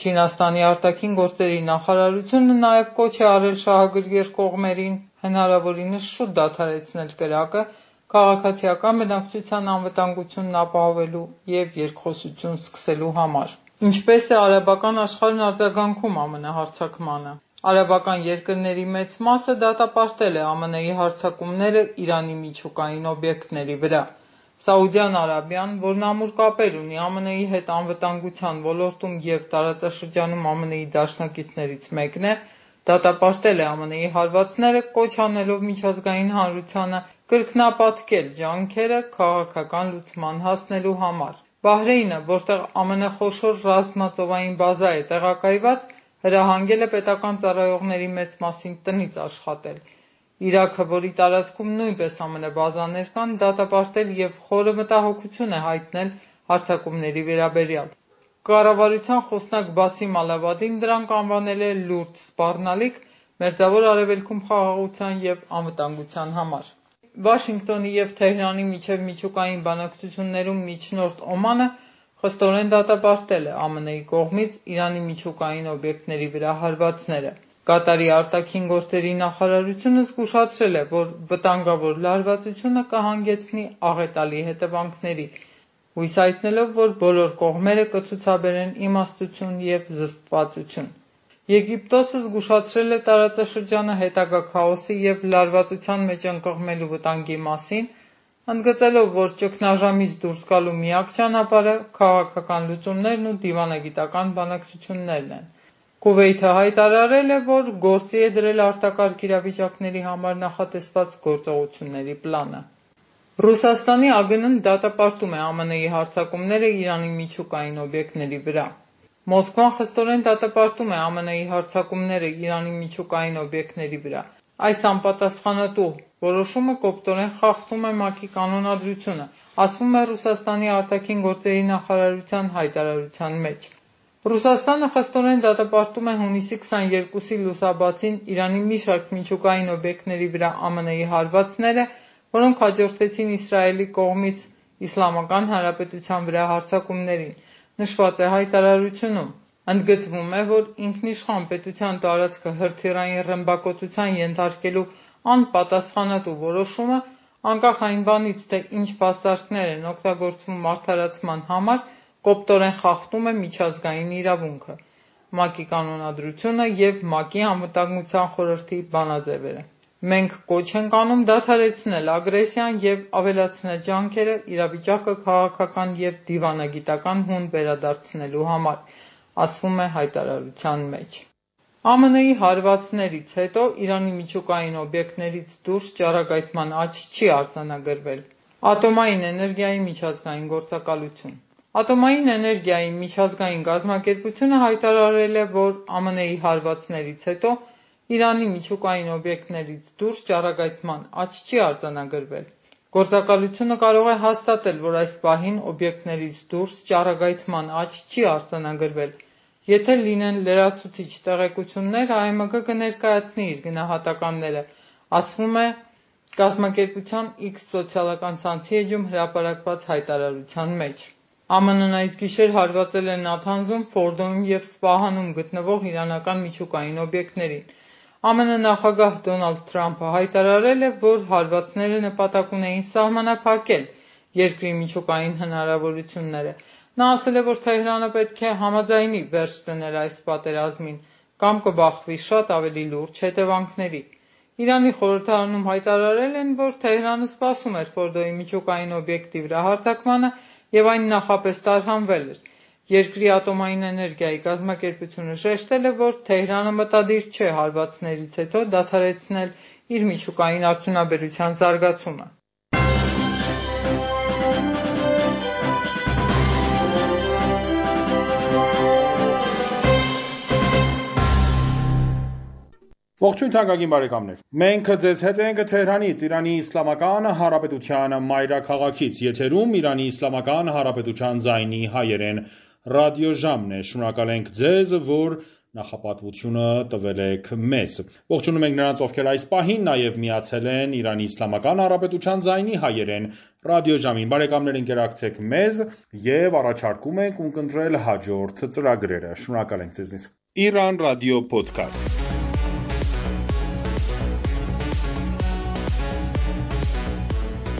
S5: Չինաստանի արտաքին գործերի նախարարությունը նաև կոչ է արել շահագրգիռ կողմերին հնարավորինս շուտ դադարեցնել կրակը քաղաքացիական բնակչության անվտանգությունն ապահովելու և երկխոսություն սկսելու համար։ Ինչպես է արաբական աշխարհն արձագանքում ԱՄՆ հարձակմանը։ Արաբական երկրների մեծ մասը դատապարտել է ԱՄՆ-ի հարձակումները Իրանի միջուկային օբյեկտների վրա։ Սաուդյան Արաբիան, որն ամուր կապեր ունի ԱՄՆ-ի հետ անվտանգության ոլորտում և տարածաշրջանում ԱՄՆ-ի դաշնակիցներից մեկն է, դատապարտել է ԱՄՆ-ի հարվածները, կոչ անելով միջազգային հանրությանը կրկնապատկել ջանքերը քաղաքական լուծման հասնելու համար։ Բահրեյնը, որտեղ ԱՄՆ խոշոր ռազմածովային բազա է տեղակայված, հրահանգել է պետական ծառայողների մեծ մասին տնից աշխատել։ Իրաքը, որի տարածքում նույնպես ԱՄՆ բազաներ կան, դատապարտել և խորը մտահոգություն է հայտնել հարձակումների վերաբերյալ։ Կառավարության խոսնակ Բասիմ Ալավադին դրանք անվանել է լուրջ սպառնալիք Մերձավոր Արևելքում խաղաղության և անվտանգության համար։ Վաշինգտոնի և Թեհրանի միջև միջուկային բանակցություններում միջնորդ Օմանը խստորեն դատապարտել է ԱՄՆ-ի կողմից Իրանի միջուկային օբյեկտների վրա հարվածները։ Կատարի արտաքին գործերի նախարարությունը զգուշացրել է, որ վտանգավոր լարվածությունը կհանգեցնի աղետալի հետևանքների, հույս հայտնելով, որ բոլոր կողմերը կցուցաբերեն իմաստություն և զսպվածություն։ Եգիպտոսը զգուշացրել է տարածաշրջանը հետագա քաոսի և լարվածության մեջ ընկղմելու վտանգի մասին, ընդգծելով, որ ճգնաժամից դուրս գալու միակ ճանապարհը քաղաքական լուծումներն ու դիվանագիտական բանակցություններն են։ Քուվեյթը հայտարարել է, որ գործի է դրել արտակարգ իրավիճակների համար նախատեսված գործողությունների պլանը։ Ռուսաստանի ԱԳՆ-ն դատապարտում է ԱՄՆ-ի հարձակումները Իրանի միջուկային օբյեկտների վրա։ Մոսկվան խստորեն դատապարտում է ԱՄՆ-ի հարձակումները Իրանի միջուկային օբյեկտների վրա։ Այս անպատասխանատու որոշումը կոպտորեն խախտում է ՄԱԿ-ի կանոնադրությունը, ասվում է Ռուսաստանի արտաքին գործերի նախարարության հայտարարության մեջ։ Ռուսաստանը խստորեն դատապարտում է հունիսի քսաներկուսի լուսաբացին Իրանի մի շարք միջուկային օբյեկտների վրա ԱՄՆ-ի հարվածները, որոնք հաջորդեցին Իսրայելի կողմից Իսլամական Հանրապետության վրա հարձակումներին։ Նշված է հայտարարությունում։ Ընդգծվում է, որ ինքնիշխան պետության տարածքը հրթիռային ռմբակոծության ենթարկելու անպատասխանատու որոշումը, անկախ այն բանից, թե ինչ փաստարկներ են օգտագործվում արդարացման համար, կոպտորեն խախտում է միջազգային իրավունքը, ՄԱԿ-ի կանոնադրությունը և ՄԱԿ-ի Անվտանգության խորհրդի բանաձևերը։ Մենք կոչ ենք անում դադարեցնել ագրեսիան և ավելացնել ջանքերը իրավիճակը քաղաքական և դիվանագիտական հուն վերադարձնելու համար, ասվում է հայտարարության մեջ։ ԱՄՆ-ի հարվածներից հետո Իրանի միջուկային օբյեկտներից դուրս ճառագայթման աճ չի արձանագրվել։ Ատոմային էներգիայի միջազգային գործակալություն։ Ատոմային էներգիայի միջազգային կազմակերպությունը հայտարարել է, որ Α Մ Ն-ի հարվածներից հետո Իրանի միջուկային օբյեկտներից դուրս ճառագայթման աճ չի արձանագրվել։ Գործակալությունը կարող է հաստատել, որ այս պահին օբյեկտներից դուրս ճառագայթման աճ չի արձանագրվել։ Եթե լինեն լրացուցիչ տեղեկություններ, Ա Մ Գ կներկայացնի իր գնահատականները, ասվում է կազմակերպության X սոցիալական ցանցի էջում հրապարակված հայտարարության մեջ։ Ა Մ Ն-ն այս գիշեր հարվածել է Նաթանզում, Ֆորդոյում և Սպահանում գտնվող իրանական միջուկային օբյեկտներին։ Ა Մ Ն նախագահ Դոնալդ Թրամփը հայտարարել է, որ հարվածները նպատակ ունեին սահմանափակել երկրի միջուկային հնարավորությունները։ Նա ասել է, որ Թեհրանը պետք է համաձայնի վերջ դնել այս պատերազմին կամ կբախվի շատ ավելի լուրջ հետևանքների։ Իրանի խորհրդարանում հայտարարել են, որ Թեհրանը սպասում էր Ֆորդոյի միջուկային օբյեկտի վրա հարձակմանը և այն նախապես տարհանվել էր։ Երկրի ատոմային էներգիայի կազմակերպությունը շեշտել է, որ Թեհրանը մտադիր չէ հարվածներից հետո դադարեցնել իր միջուկային արդյունաբերության զարգացումը։
S1: Ողջույն թանկագին բարեկամներ։ Մենք ձեզ հետ ենք Թեհրանից, Իրանի Իսլամական Հանրապետության մայրաքաղաքից։ Եթերում Իրանի Իսլամական Հանրապետության ձայնի հայերեն ռադիոժամն է։ Շնորհակալ ենք ձեզ, որ նախապատվությունը տվել եք մեզ։ Ողջունում ենք նրանց, ովքեր այս պահին նաև միացել են Իրանի Իսլամական Հանրապետության ձայնի հայերեն ռադիոժամին։ Բարեկամներ, ընկերակցեք մեզ եւ առաջարկում ենք ունկնդրել հաջորդ ծրագրերը։ Շնորհակալ ենք ձեզնից։ Իրան ռադիո ոդքասթ։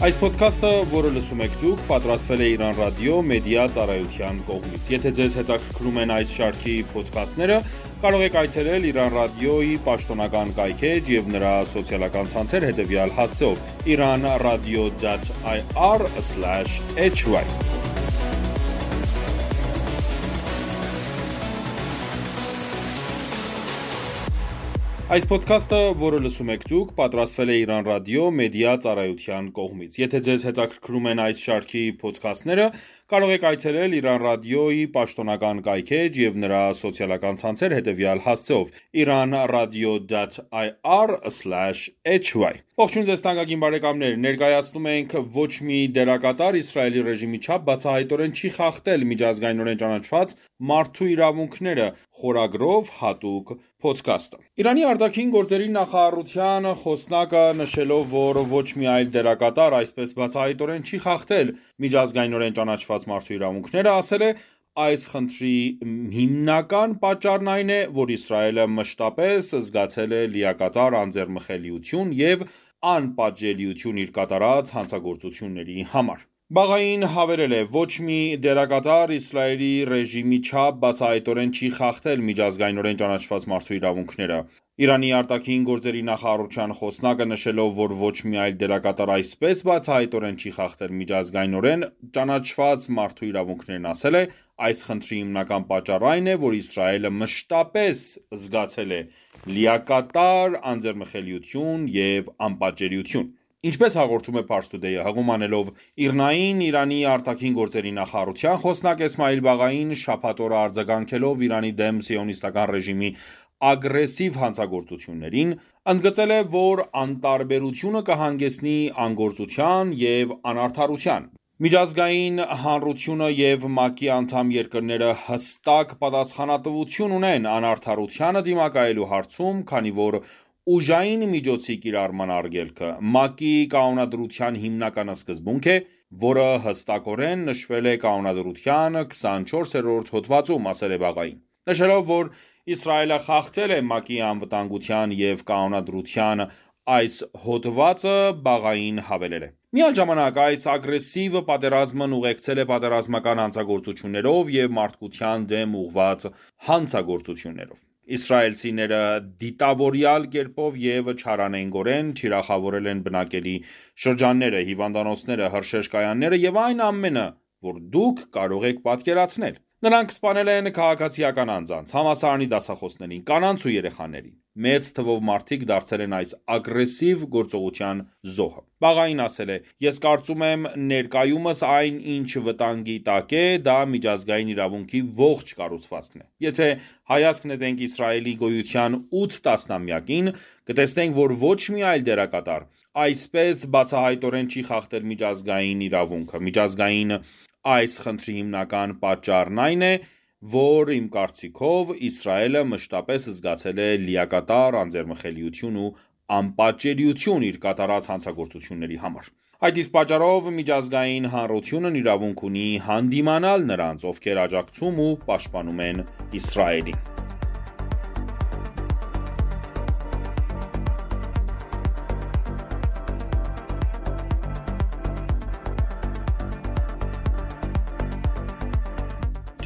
S1: Այս ոդքասթը, որը լսում եք դուք, պատրաստվել է Իրան ռադիո մեդիա ծառայության կողմից։ Եթե ձեզ հետաքրքրում են այս շարքի ոդքասթները, կարող եք այցելել Իրան ռադիոյի պաշտոնական կայքէջ եւ նրա սոցիալական ցանցեր հետեւյալ հասցեով՝ iran radio dot i r slash h y։ Այս ոդքասթը, որը լսում եք դուք, պատրաստվել է Իրան ռադիո մեդիա ծառայության կողմից։ Եթե ձեզ հետաքրքրում են այս շարքի ոդքասթները, կարող եք այցելել Իրան ռադիոյի պաշտոնական կայքէջ եւ նրա սոցիալական ցանցեր հետեւյալ հասցեով՝ iran radio dot i r slash h y։ Ողջույն ձեզ թանկագին բարեկամներ, ներկայացնում ենք ոչ մի դերակատար Իսրայելի ռեժիմի չափ բացահայտորեն չի խախտել միջազգայինորեն ճանաչված մարդու իրավունքները խորագրով հատուկ ոդքասթը։ Իրանի արտաքին գործերի նախարարության խոսնակը նշելով, որ ոչ մի այլ դերակատար այսպես բացահայտորեն չի խախտել միջազգայինորեն ճանաչված մարդու իրավունքները, ասել է. Այս խնդրի հիմնական պատճառն այն է, որ Իսրայելը մշտապես զգացել է լիակատար անձեռմխելիություն եւ անպատժելիություն իր կատարած հանցագործությունների համար։ Բաղային հավելել է. ոչ մի դերակատար Իսրայելի ռեժիմի չափ բացահայտորեն չի խախտել միջազգայինորեն ճանաչված մարդու իրավունքները։ Իրանի արտաքին գործերի նախարարության խոսնակը նշելով, որ ոչ մի այլ դերակատար այսպես բացահայտորեն չի խախտել միջազգայինորեն ճանաչված մարդու իրավունքներն, ասել է. այս խնդրի հիմնական պատճառը այն է, որ Իսրայելը մշտապես զգացել է լիակատար անձեռմխելիություն եւ անպատժելիություն։ Ինչպես հաղորդում է Pars Today-ը, հղում անելով Իռնային Իրանի արտաքին գործերի նախարարության խոսնակ Էսմայիլ Բաղային շաբաթ օրը արձագանքելով Իրանի դեմ սիոնիստական ռեժիմի ագրեսիվ հանցագործություններին, ընդգծել է, որ անտարբերությունը կհանգեցնի անգործության եւ անարդարության։ Միջազգային հանրությունը եւ ՄԱԿ-ի անդամ երկրները հստակ պատասխանատվություն ունեն անարդարությանը դիմակայելու հարցում, քանի որ ուժային միջոցի կիրառման արգելքը ՄԱԿ-ի կանոնադրության հիմնական սկզբունք է, որը հստակորեն նշվել է կանոնադրության քսանչորսերորդ հոդվածում, ասել է Բաղային։ Նշելով, որ Իսրայելը խախտել է ՄԱԿ-ի անվտանգության եւ կանոնադրության այս հոդվածը, Բաղային հավելել է. Միաժամանակ այս ագրեսիվ պատերազմն ուղեկցել է պատերազմական հանցագործություններով եւ մարդկության դեմ ուղղված հանցագործություններով։ Իսրայելցիները դիտավորյալ կերպով եւ չարանենգորեն թիրախավորել են բնակելի շրջանները, հիվանդանոցները, հրշեջ կայանները եւ այն ամենը, որ դուք կարող եք պատկերացնել։ Նրանք սպանել են քաղաքացիական անձանց, համալսարանի դասախոսներին, կանանց ու երեխաներին։ Մեծ թվով մարդիկ դարձել են այս ագրեսիվ գործողության զոհը։ Բաղային ասել է. «Ես կարծում եմ ներկայումս այն, ինչ վտանգի տակ է, դա միջազգային իրավունքի ողջ կառուցվածքն է։ Եթե հայացք նետենք Իսրայելի գոյության ութ տասնամյակին, կտեսնենք, որ ոչ մի այլ դերակատար այսպես բացահայտորեն չի խախտել միջազգային իրավունքը։ Միջազգային այս խնդրի հիմնական պատճառն այն է, որ իմ կարծիքով Իսրայելը մշտապես զգացել է լիակատար անձեռմխելիություն ու անպատժելիություն իր կատարած հանցագործությունների համար։ Այդ իսկ պատճառով միջազգային հանրությունն իրավունք ունի հանդիմանալ նրանց, ովքեր աջակցում ու պաշտպանում են Իսրայելին»։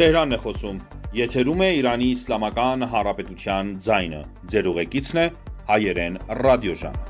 S1: Թեհրանն է խոսում, եթերում է Իրանի Իսլամական Հանրապետության ձայնը, ձեր ուղեկիցն է հայերեն ռադիոժամը։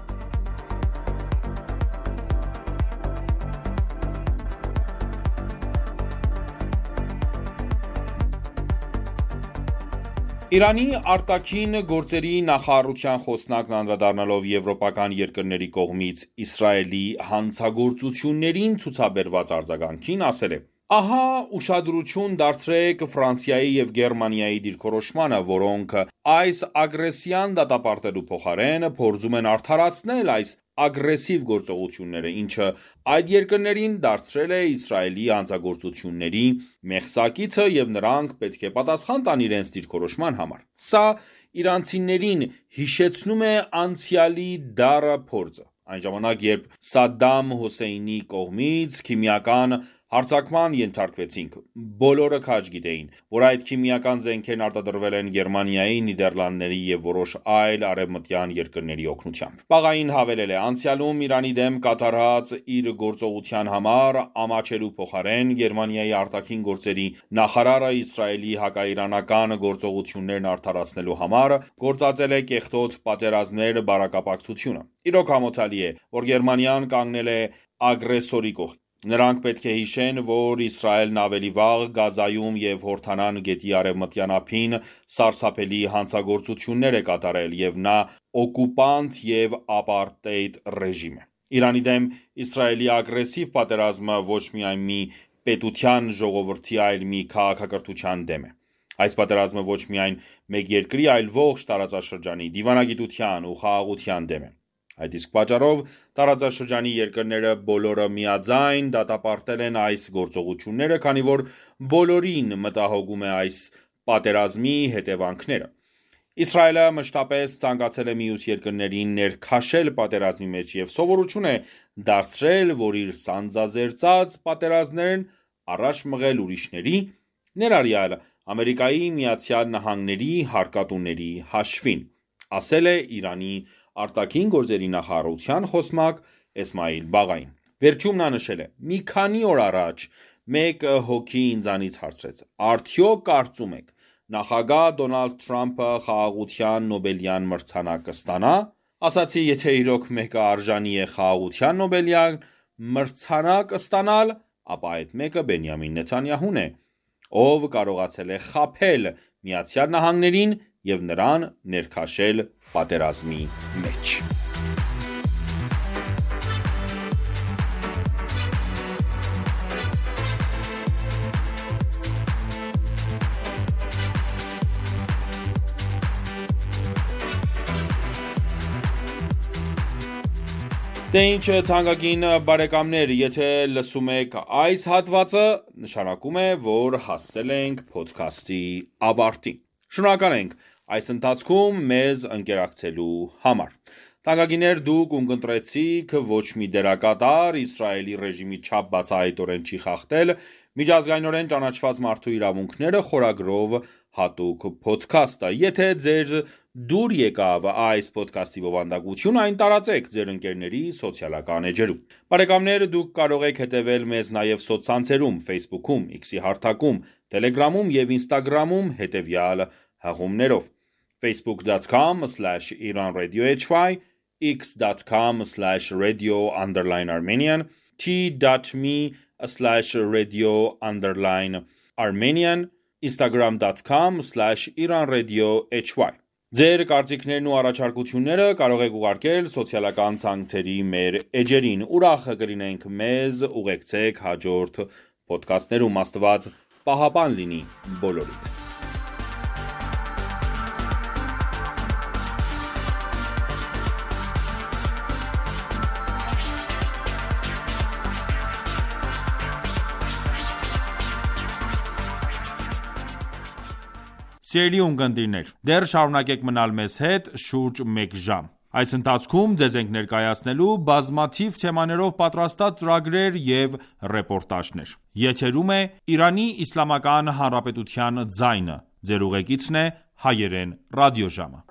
S1: Իրանի արտաքին գործերի նախարարության խոսնակն անդրադառնալով եվրոպական երկրների կողմից Իսրայելի հանցագործություններին ցուցաբերված արձագանքին, ասել է. «Ահա ուշադրություն դարձրեք Ֆրանսիայի և Գերմանիայի դիրքորոշմանը, որոնք այս ագրեսիան դատապարտելու փոխարեն փորձում են արդարացնել այս ագրեսիվ գործողությունները, ինչը այդ երկրներին դարձրել է Իսրայելի հանցագործությունների մեղսակիցը և նրանք պետք է պատասխան տան իրենց դիրքորոշման համար։ Սա իրանցիներին հիշեցնում է անցյալի դառը փորձը։ Այն ժամանակ, երբ Սադդամ Հուսեյնի կողմից քիմիական հարձակման ենթարկվեցինք, բոլորը քաջ գիտեին, որ այդ քիմիական զենքերն արտադրվել են Գերմանիայի, Նիդերլանդների և որոշ այլ արևմտյան երկրների օգնությամբ»։ Բաղային հավելել է. «Անցյալում Իրանի դեմ կատարած իր գործողության համար ամաչելու փոխարեն Գերմանիայի արտաքին գործերի նախարարը Իսրայելի հակաիրանական գործողություններն արդարացնելու համար գործածել է կեղտոտ պատերազմներ բարակապակցությունը։ Իրոք ամոթալի է, որ Գերմանիան կանգնել է ագրեսորի կողքին։ Նրանք պետք է հիշեն, որ Իսրայելն ավելի վաղ Գազայում և Հորդանան գետի արևմտյան ափին սարսափելի հանցագործություններ է կատարել, և նա օկուպանտ և ապարտեիդ ռեժիմ է։ Իրանի դեմ Իսրայելի ագրեսիվ պատերազմը ոչ միայն մի պետության, ժողովրդի, այլ մի քաղաքակրթության դեմ է։ Այս պատերազմը ոչ միայն մեկ երկրի, այլ ողջ տարածաշրջանի, դիվանագիտության ու խաղաղության դեմ է։ Այդ իսկ պատճառով տարածաշրջանի երկրները բոլորը միաձայն դատապարտել են այս գործողությունները, քանի որ բոլորին մտահոգում է այս պատերազմի հետևանքները։ Իսրայելը մշտապես ցանկացել է մյուս երկրներին ներքաշել պատերազմի մեջ և սովորություն է դարձրել, որ իր սանձազերծած պատերազմներն առաջ մղել ուրիշների, ներառյալ Ամերիկայի Միացյալ Նահանգների հարկատուների հաշվին, ասել է Իրանի արտաքին գործերի նախարարության խոսնակ Էսմայիլ Բաղային։ Վերջում նա նշել է. «Մի քանի օր առաջ մեկ հոգի ինձանից հարցրեց. արդյոք կարծում եք նախագահ Դոնալդ Թրամփը խաղաղության Նոբելյան մրցանակ կստանա։ Ասացի, եթե իրոք մեկը արժանի է խաղաղության Նոբելյան մրցանակ ստանալ, ապա այդ մեկը Բենյամին Նեթանյահուն է, ով կարողացել է խաբել Միացյալ Նահանգներին և նրան ներքաշել պատերազմի մեջ»։ Դե ինչ թանկագին բարեկամներ, եթե լսում եք այս հատվածը, նշանակում է, որ հասել ենք փոդքասթի ավարտին։ Շնորհակալ ենք այս ընթացքում մեզ ընկերակցելու համար։ Թանկագիներ, դուք ունկնդրեցիք ոչ մի դերակատար Իսրայելի ռեժիմի չափ բացահայտորեն չի խախտել միջազգայինորեն ճանաչված մարդու իրավունքները խորագրով հատուկ փոդքասթը։ Եթե ձեր դուր եկավ այս փոդքասթի բովանդակությունը, այն տարածեք ձեր ընկերների սոցիալական էջերում։ Բարեկամներ, դուք կարող եք հետևել մեզ նաև սոցցանցերում Facebook-ում, X-ի հարթակում, Telegram-ում և Instagram-ում հետևյալ հղումներով. facebook dot com slash iran radio h y, x dot com slash radio underline armenian, t dot m e slash radio underline armenian, instagram dot com slash iranradio.hy Ձեր կարծիքներն ու առաջարկությունները կարող եք ուղարկել սոցիալական ցանցերի մեր էջերին։ Ուրախ կլինենք մեզ ուղեկցեք հաջորդ ոդքասթներում։ Աստված պահապան լինի բոլորիդ։ Սիրելի ունկնդիրներ, դեռ շարունակեք մնալ մեզ հետ շուրջ մեկ ժամ։ Այս ընթացքում ձեզ ենք ներկայացնելու բազմաթիվ թեմաներով պատրաստած ծրագրեր և ռեպորտաժներ։ Եթերում է Իրանի Իսլամական Հանրապետության ձայնը։ Ձեր ուղեկիցն է հայերեն ռադիոժամը։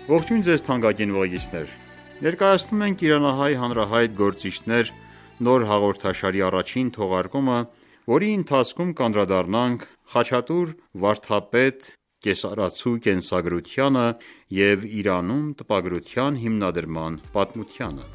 S6: Ողջույն ձեզ թանկագին ուղեկիցներ: Ներկայացնում ենք «Իրանահայ հանրահայտ գործիչներ» նոր հաղորդաշարի առաջին թողարկումը, որի ընթացքում կանդրադառնանք Խաչատուր վարդապետ կեսարացու կենսագրությանը և Իրանում տպագրության հիմնադրման պատմությանը։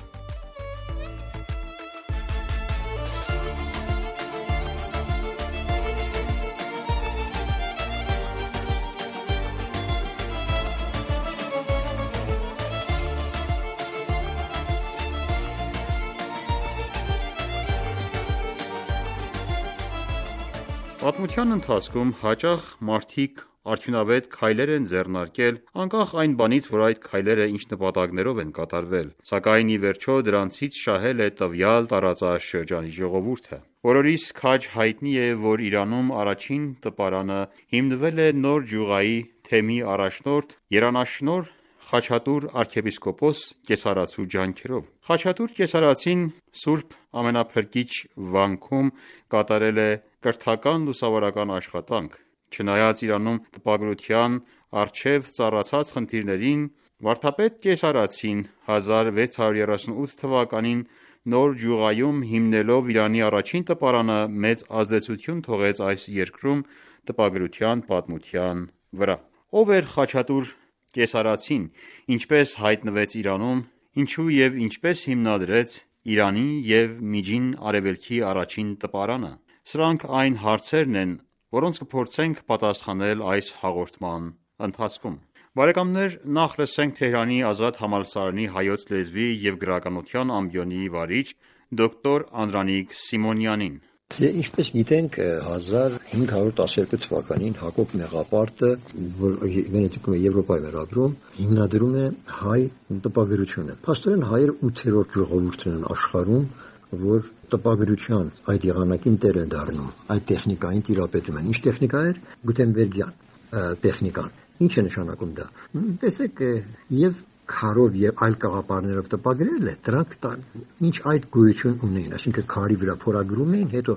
S6: Պատմության ընթացքում հաճախ մարդիկ արդյունավետ քայլեր են ձեռնարկել, անկախ այն բանից, որ այդ քայլերը ինչ նպատակներով են կատարվել, սակայն ի վերջո դրանցից շահել է տվյալ տարածաշրջանի ժողովուրդը։ Բոլորիս քաջ հայտնի է, որ Իրանում առաջին տպարանը հիմնվել է նոր ջուղայի թեմի առաջնորդ երանաշնորհ Խաչատուր arczepiskopos կեսարացու ջանքերով։ Խաչատուր կեսարացին Սուրբ Ամենափրկիչ վանքում կատարել է կրթական լուսավորական աշխատանք։ Չնայած Իրանում տպագրության առջև ծառացած խնդիրներին, վարդապետ կեսարացին հազար վեց հարյուր երեսունութ թվականին նոր ջուղայում հիմնելով Իրանի առաջին տպարանը մեծ ազդեցություն թողեց այս երկրում տպագրության պատմության վրա։ Ով էր Խաչատուր կեսարացին, ինչպես հայտնվեց Իրանում, ինչու և ինչպես հիմնադրեց Իրանի և Միջին Արևելքի առաջին տպարանը։ Սրանք այն հարցերն են, որոնց կփորձենք պատասխանել այս հաղորդման ընթացքում։ Բարեկամներ, նախ լսենք Թեհրանի Ազատ համալսարանի հայոց լեզվի և գրականության ամբիոնի վարիչ դոկտոր Անդրանիկ Սիմոնյանին։
S7: Ինչպես գիտենք, հազար հինգ հարյուր տասներկու թվականին Հակոբ Մեղապարտը, որ Վենետիկում է Եվրոպայի վերաբերում, հիմնադրում է հայ տպագրությունը։ Փաստորեն հայերը ութերորդ ժողովուրդն են աշխարհում, որ տպագրության այդ եղանակին տեր են դառնում, այդ տեխնիկային տիրապետում են։ Ինչ տեխնիկա էր? Գուտենբերգյան տեխնիկան։ Ինչ է նշանակում դա? Տեսեք, եւ քարով եւ այլ կաղապարներով տպագրել է, դրանք ինչ այդ գոյություն ունեին, այսինքն քարի վրա փորագրում էին, հետո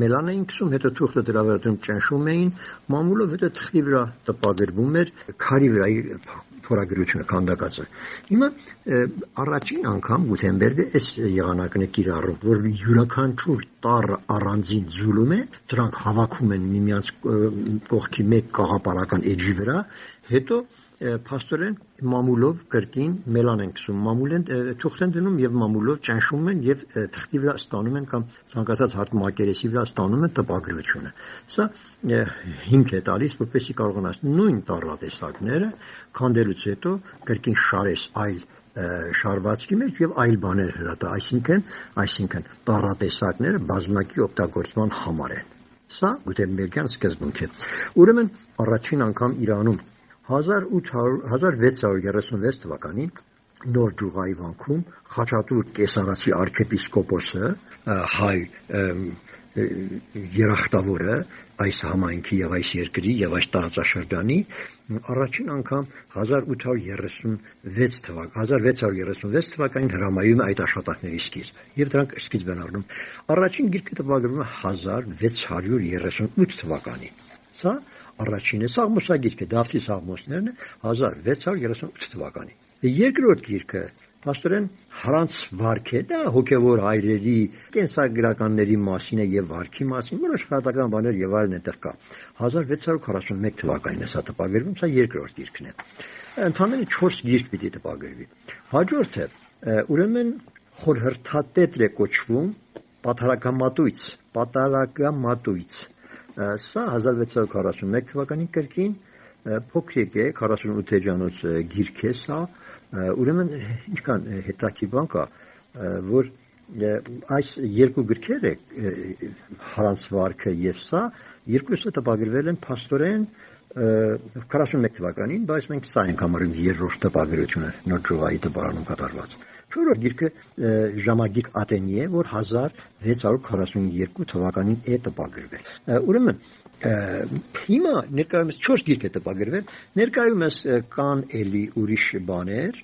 S7: մելան էին քսում, հետո թուղթը դրա վրա ճնշում էին, մամուլով, հետո թղթի վրա տպագրվում էր քարի վրայի փորագրությունը քանդակածը։ Հիմա առաջին անգամ Գուտենբերգը այս եղանակն է կիրառում, որ յուրաքանչյուր տառը առանձին ձուլում է, դրանք հավաքում են միմյանց կողքի մեկ կաղապարական էջի վրա, հետո փաստորեն մամուլով կրկին մելան են քսում, մամուլ են թուղթ են դնում եւ մամուլով ճնշում են եւ թղթի վրա ստանում են կամ ցանկացած հարթ մակերեսի վրա ստանում են տպագրությունը։ Սա հիմք է տալիս, որպեսզի կարողանաս նույն տառատեսակները քանդելուց հետո կրկին շարես այլ շարվածքի մեջ եւ այլ բաներ հրատա, այսինքն, այսինքն տառատեսակները բազմակի օգտագործման համար են։ Սա Գուտենբերգյան սկզբունք է։ Ուրեմն առաջին անգամ Իրանում հազար վեց հարյուր երեսունվեց թվականին նոր ջուղայի վանքում Խաչատուր կեսարացի arczepiskopos-ը հայ երախտավորը այս համայնքի եւ այս երկրի եւ այս տարածաշրջանի առաջին անգամ հազար ութ հարյուր երեսունվեց թվական հազար վեց հարյուր երեսունվեց թվականին հրամայում է այդ աշխատանքների սկիզբ եւ դրանք սկիզբ են առնում առաջին գիրքը տպագրվում է հազար վեց հարյուր երեսունութ թվականին սա առաջինը Սաղմոսագիրքը Դավթի Սաղմոսներն է հազար վեց հարյուր երեսունութ թվականին երկրորդ գիրքը Պաստորեն Հրանց վարք է, դա հոգևոր հայրերի, կենսագրականների մասին է եւ վարքի մասին, որոշ խրատական բաներ եւ այլն այդտեղ կա։ հազար վեց հարյուր քառասունմեկ թվականին է սա տպագրվում, սա երկրորդ գիրքն է։ Ընդհանրապես չորս գիրք պիտի տպագրվի։ Հաջորդը ուրեմն խորհրդատետր է կոչվում Պատարագամատույց, Պատարագամատույց։ Սա հազար վեց հարյուր քառասունմեկ թվականին կրկին փոքրիկ է, քառասունութ էջանոց գիրք է սա, ուրեմն ինչքան հետաքրքիր բան կա, որ այս երկու գրքերը Հրանց վարքը եւ սա երկուսը տպագրվել են փաստորեն քառասունմեկ թվականին, բայց մենք սա ենք համարում երրորդ տպագրությունը, նոր ճյուղայի տպարանում կատարված։ Չորրորդ գիրքը ժամագիրք Ատենի է, որ հազար վեց հարյուր քառասունյոթ թվականին է տպագրվել։ Ուրեմն հիմա ներկայումս չորս գիրք է տպագրվել, ներկայումս կան էլի ուրիշ բաներ,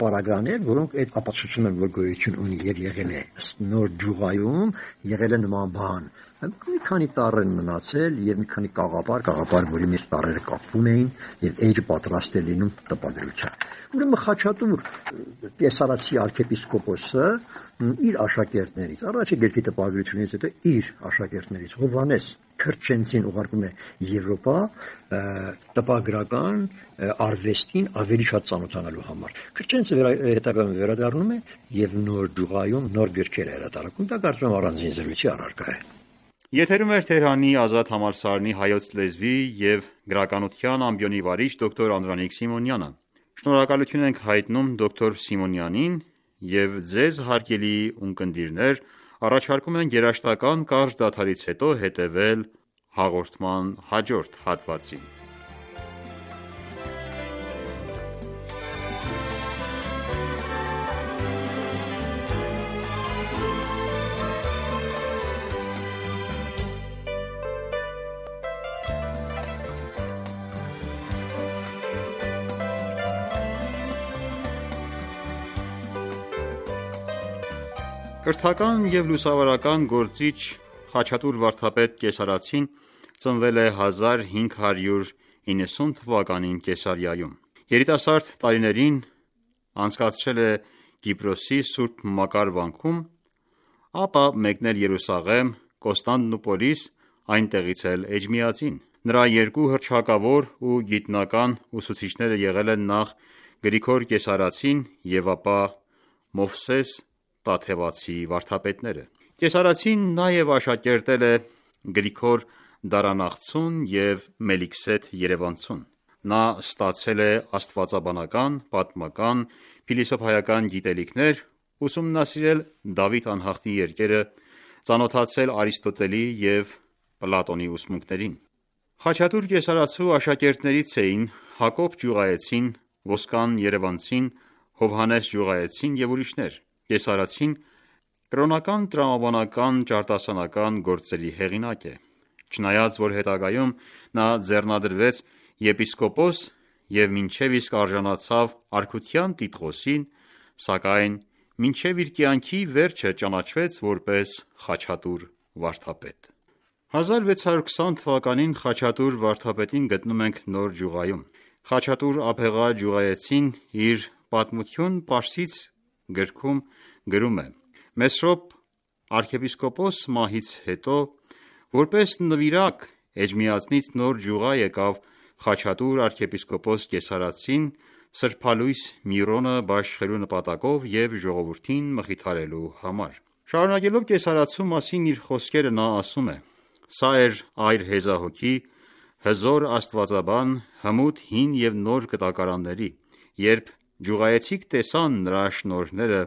S7: պարագաներ, որոնք այդ ապացուցում են, որ գոյություն ունի եւ եղել է նոր ջուղայում, եղել է նման բան։ Մի քանի տառ են մնացել եւ մի քանի կաղապար, կաղապար, որի մեջ տառերը կապվում էին եւ էջը պատրաստ է լինում տպագրության։ Ուրեմն Խաչատուր Կեսարացի arczepiskopos-ը իր աշակերտներից, առաջի գիրքի տպագրությունից հետո իր աշակերտներից Հովհաննես Քրչենցին ուղարկում է Եվրոպա տպագրական արվեստին ավելի շատ ծանոթանալու համար։ Քրչենցը հետագայում վերադառնում է եւ նոր ջուղայում նոր գրքեր է հրատարակում, դա կարծում եմ առանձին զրույցի առարկա է։
S6: Եթերում էր Թեհրանի ազատ համալսարանի հայոց լեզվի եւ գրականության ամբիոնի վարիչ դոկտոր Անդրանիկ Սիմոնյանը։ Շնորհակալություն ենք հայտնում դոկտոր Սիմոնյանին եւ ձեզ հարգելի ունկնդիրներ առաջարկում ենք երաժշտական կարճ դադարից հետո հետևել հաղորդման հաջորդ հատվածին։ Կրթական և լուսավորական գործիչ Խաչատուր վարդապետ Կեսարացին ծնվել է հազար հինգ հարյուր իննսուն թվականին Կեսարիայում։ Երիտասարդ տարիներին անցկացրել է Կիպրոսի Սուրբ Մակար վանքում, ապա մեկնել Երուսաղեմ, Կոստանդնուպոլիս, այնտեղից էլ Էջմիածին։ Նրա երկու հռչակավոր ու գիտնական ուսուցիչները եղել են նախ Գրիգոր Կեսարացին և ապա Մովսես Տաթևացի վարդապետները։ Կեսարացին նաև աշակերտել է Գրիգոր Դարանաղցուն և Մելիքսեթ Երևանցուն։ Նա ստացել է աստվածաբանական, պատմական, փիլիսոփայական գիտելիքներ, ուսումնասիրել Դավիթ անհախտի երկերը, ծանոթացել Արիստոտելի և Պլատոնի ուսմունքներին։ Խաչատուր Կեսարացու աշակերտներից էին Հակոբ Ջուղայեցին, Ոսկան Երևանցին, Հովհաննես Ջուղայեցին և ուրիշներ։ Կեսարացին կրոնական տրամաբանական ճարտասանական գործերի հեղինակ է։ Չնայած որ հետագայում նա ձեռնադրվեց եպիսկոպոս և մինչև իսկ արժանացավ արքության տիտղոսին, սակայն մինչև իր կյանքի վերջը ճանաչվեց որպես Խաչատուր վարդապետ։ հազար վեց հարյուր քսան թվականին Խաչատուր վարդապետին գտնում ենք Նոր Ջուղայում։ Խաչատուր Աբեղա Ջուղայեցին իր «Պատմություն Պարսից» գրքում գրում է. Մեսրոպ arczepiskopos մահից հետո որպես նվիրակ Էջմիածնից Նոր Ջուղա եկավ Խաչատուր arczepiskopos Կեսարացին սրբալույս Միրոնը բաշխելու նպատակով և ժողովրդին մխիթարելու համար։ Շարունակելով Կեսարացու մասին իր խոսքերը նա ասում է. «Սա էր այր հեզահոգի, հզոր աստվածաբան, հմուտ հին և նոր կտակարանների, երբ ջուղայեցիք տեսան նրա շնորհները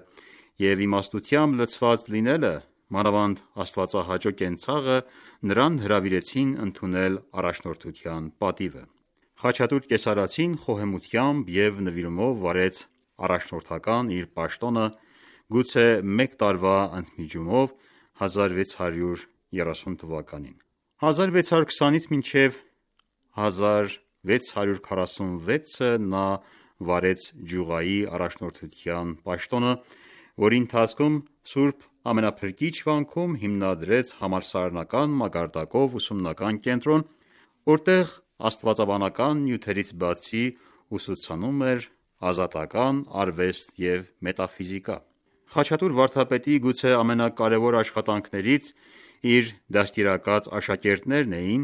S6: և իմաստությամբ լցված լինելը, մանավանդ աստվածահաճո կենցաղը, նրան հրավիրեցին ընդունել առաջնորդության պատիվը»։ Խաչատուր Կեսարացին խոհեմությամբ և նվիրումով վարեց առաջնորդական իր պաշտոնը, գուցե մեկ տարվա ընդմիջումով հազար վեց հարյուր երեսուն թվականին։ հազար վեց հարյուր քսանից մինչև հազար վեց հարյուր քառասունվեցը նա վարեց ջուղայի առաջնորդության պաշտոնը, որի ընթացքում Սուրբ Ամենափրկիչ վանքում հիմնադրեց համալսարանական մակարդակով ուսումնական կենտրոն, որտեղ աստվածաբանական նյութերից բացի ուսուցանում էր ազատական արվեստ և մետաֆիզիկա։ Խաչատուր վարդապետի գուցե ամենակարևոր աշխատանքներից իր դաստիարակած աշակերտներն էին,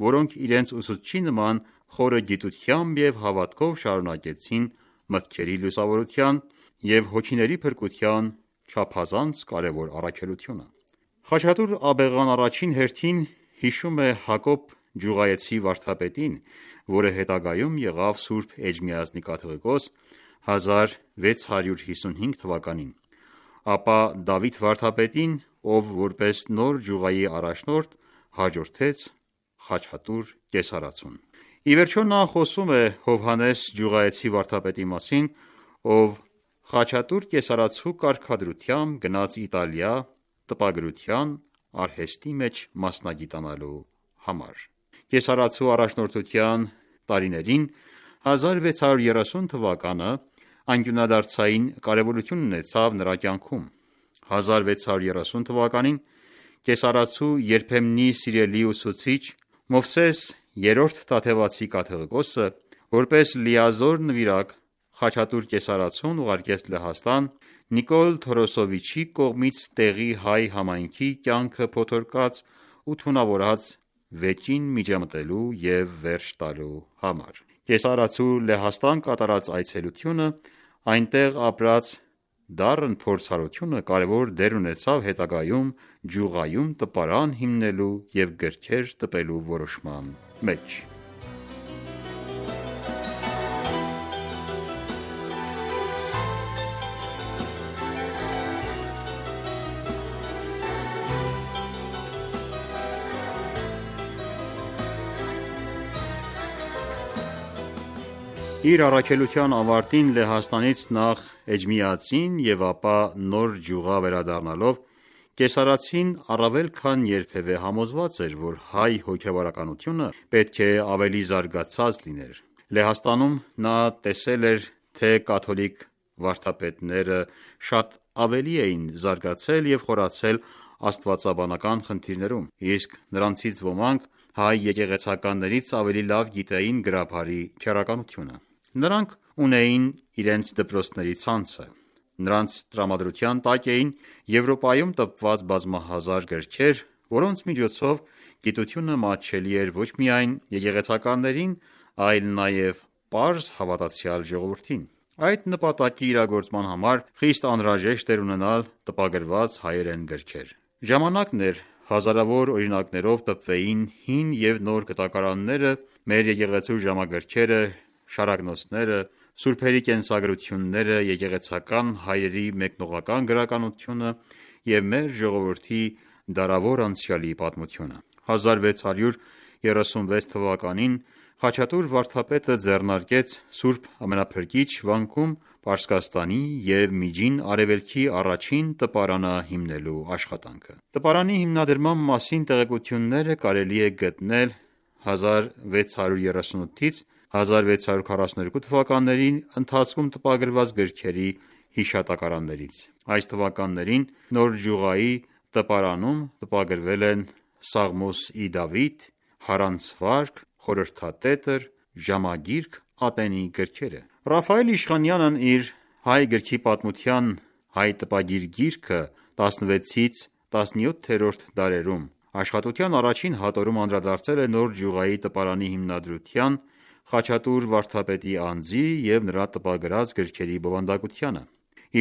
S6: որոնք իրենց ուսուցչի նման խորը գիտությամբ և հավատքով շարունակեցին մտքերի լուսավորության և հոգիների փրկության չափազանց կարևոր առաքելությունը։ Խաչատուր Աբեղան առաջին հերթին հիշում է Հակոբ Ջուղայեցի վարդապետին, որը հետագայում եղավ Սուրբ Էջմիածնի կաթողիկոս հազար վեց հարյուր հիսունհինգ թվականին, ապա Դավիթ վարդապետին, ով որպես նոր ջուղայի առաջնորդ հաջորդեց Խաչատուր կեսարածուն։ Ի վերջո նա խոսում է Հովհաննես Ջուղայեցի վարդապետի մասին, ով Խաչատուր կեսարածու կարգադրությամբ գնաց Իտալիա տպագրության արհեստի մեջ մասնագիտանալու համար։ Կեսարածու առաջնորդության տարիներին հազար վեց հարյուր երեսուն թվականը անկյունադարձային կարևորություն ունեցավ նրա կյանքում։ հազար վեց հարյուր երեսուն թվականին կեսարածու երբեմնի սիրելի ուսուցիչ Մովսես երրորդ Թադևացի կաթողիկոսը որպես լիազոր նվիրակ Խաչատուր կեսարածուն ուղարկեց Լեհաստան Նիկոլ Թորոսովիչի կողմից տեղի հայ համայնքի կյանքը փոթորկած ու թունավորած վեճին միջամտելու և վերջ տալու համար։ Կեսարածու Լեհաստան կատարած այցելությունը, այնտեղ ապրած դառն փորձառությունը կարևոր դեր ունեցավ հետագայում ջուղայում տպարան հիմնելու և գրքեր տպելու որոշման մեջ։ Իր առաքելության ավարտին Լեհաստանից նախ Էջմիածին և ապա նոր ջուղա վերադառնալով կեսարածին առավել քան երբևէ համոզված էր, որ հայ հոգևորականությունը պետք է ավելի զարգացած լիներ։ Լեհաստանում նա տեսել էր, թե կաթոլիկ վարդապետները շատ ավելի էին զարգացել և խորացել աստվածաբանական խնդիրներում, իսկ նրանցից ոմանք հայ եկեղեցականներից ավելի լավ գիտեին գրաբարի քերականությունը։ Նրանք ունեին իրենց դպրոցների ցանցը։ Նրանց տրամադրության տակ էին Եվրոպայում տպված բազմահազար գրքեր, որոնց միջոցով գիտությունը մատչելի էր ոչ միայն եկեղեցականներին, այլ նաև պարզ հավատացյալ ժողովրդին։ Այդ նպատակի իրագործման համար խիստ անհրաժեշտ էր ունենալ տպագրված հայերեն գրքեր։ Ժամանակն էր հազարավոր օրինակներով տպվեին հին և նոր գտակարանները, մեր եկեղեցու ժամագրքերը, շարակնոցները, սուրբերի կենսագրությունները, եկեղեցական հայրերի մեկնողական գրականությունը և մեր ժողովրդի դարավոր անցյալի պատմությունը։ հազար վեց հարյուր երեսունվեց թվականին Խաչատուր վարդապետը ձեռնարկեց Սուրբ Ամենափրկիչ վանքում Պարսկաստանի և Միջին Արևելքի առաջին տպարանը հիմնելու աշխատանքը։ Տպարանի հիմնադրման մասին տեղեկությունները կարելի է գտնել հազար վեց հարյուր երեսունութից հազար վեց հարյուր քառասունութ թվականների ընթացքում տպագրված գրքերի հիշատակարաններից։ Այս թվականներին նոր ջուղայի տպարանում տպագրվել են Սաղմոս ի Դավիթ, Հարանցվարք, Խորհրդատետր, Ժամագիրք, ատենի գրքերը։ Ռաֆայել Իշխանյանն իր «Հայ գրքի պատմության հայ տպագիր գիրքը» տասնվեցից տասնյոթերորդ դարերում աշխատության առաջին հատորում անդրադարձել է նոր ջուղայի տպարանի հիմնադրության, Խաչատուր վարդապետի անձի և նրա տպագրած գրքերի բովանդակությանը։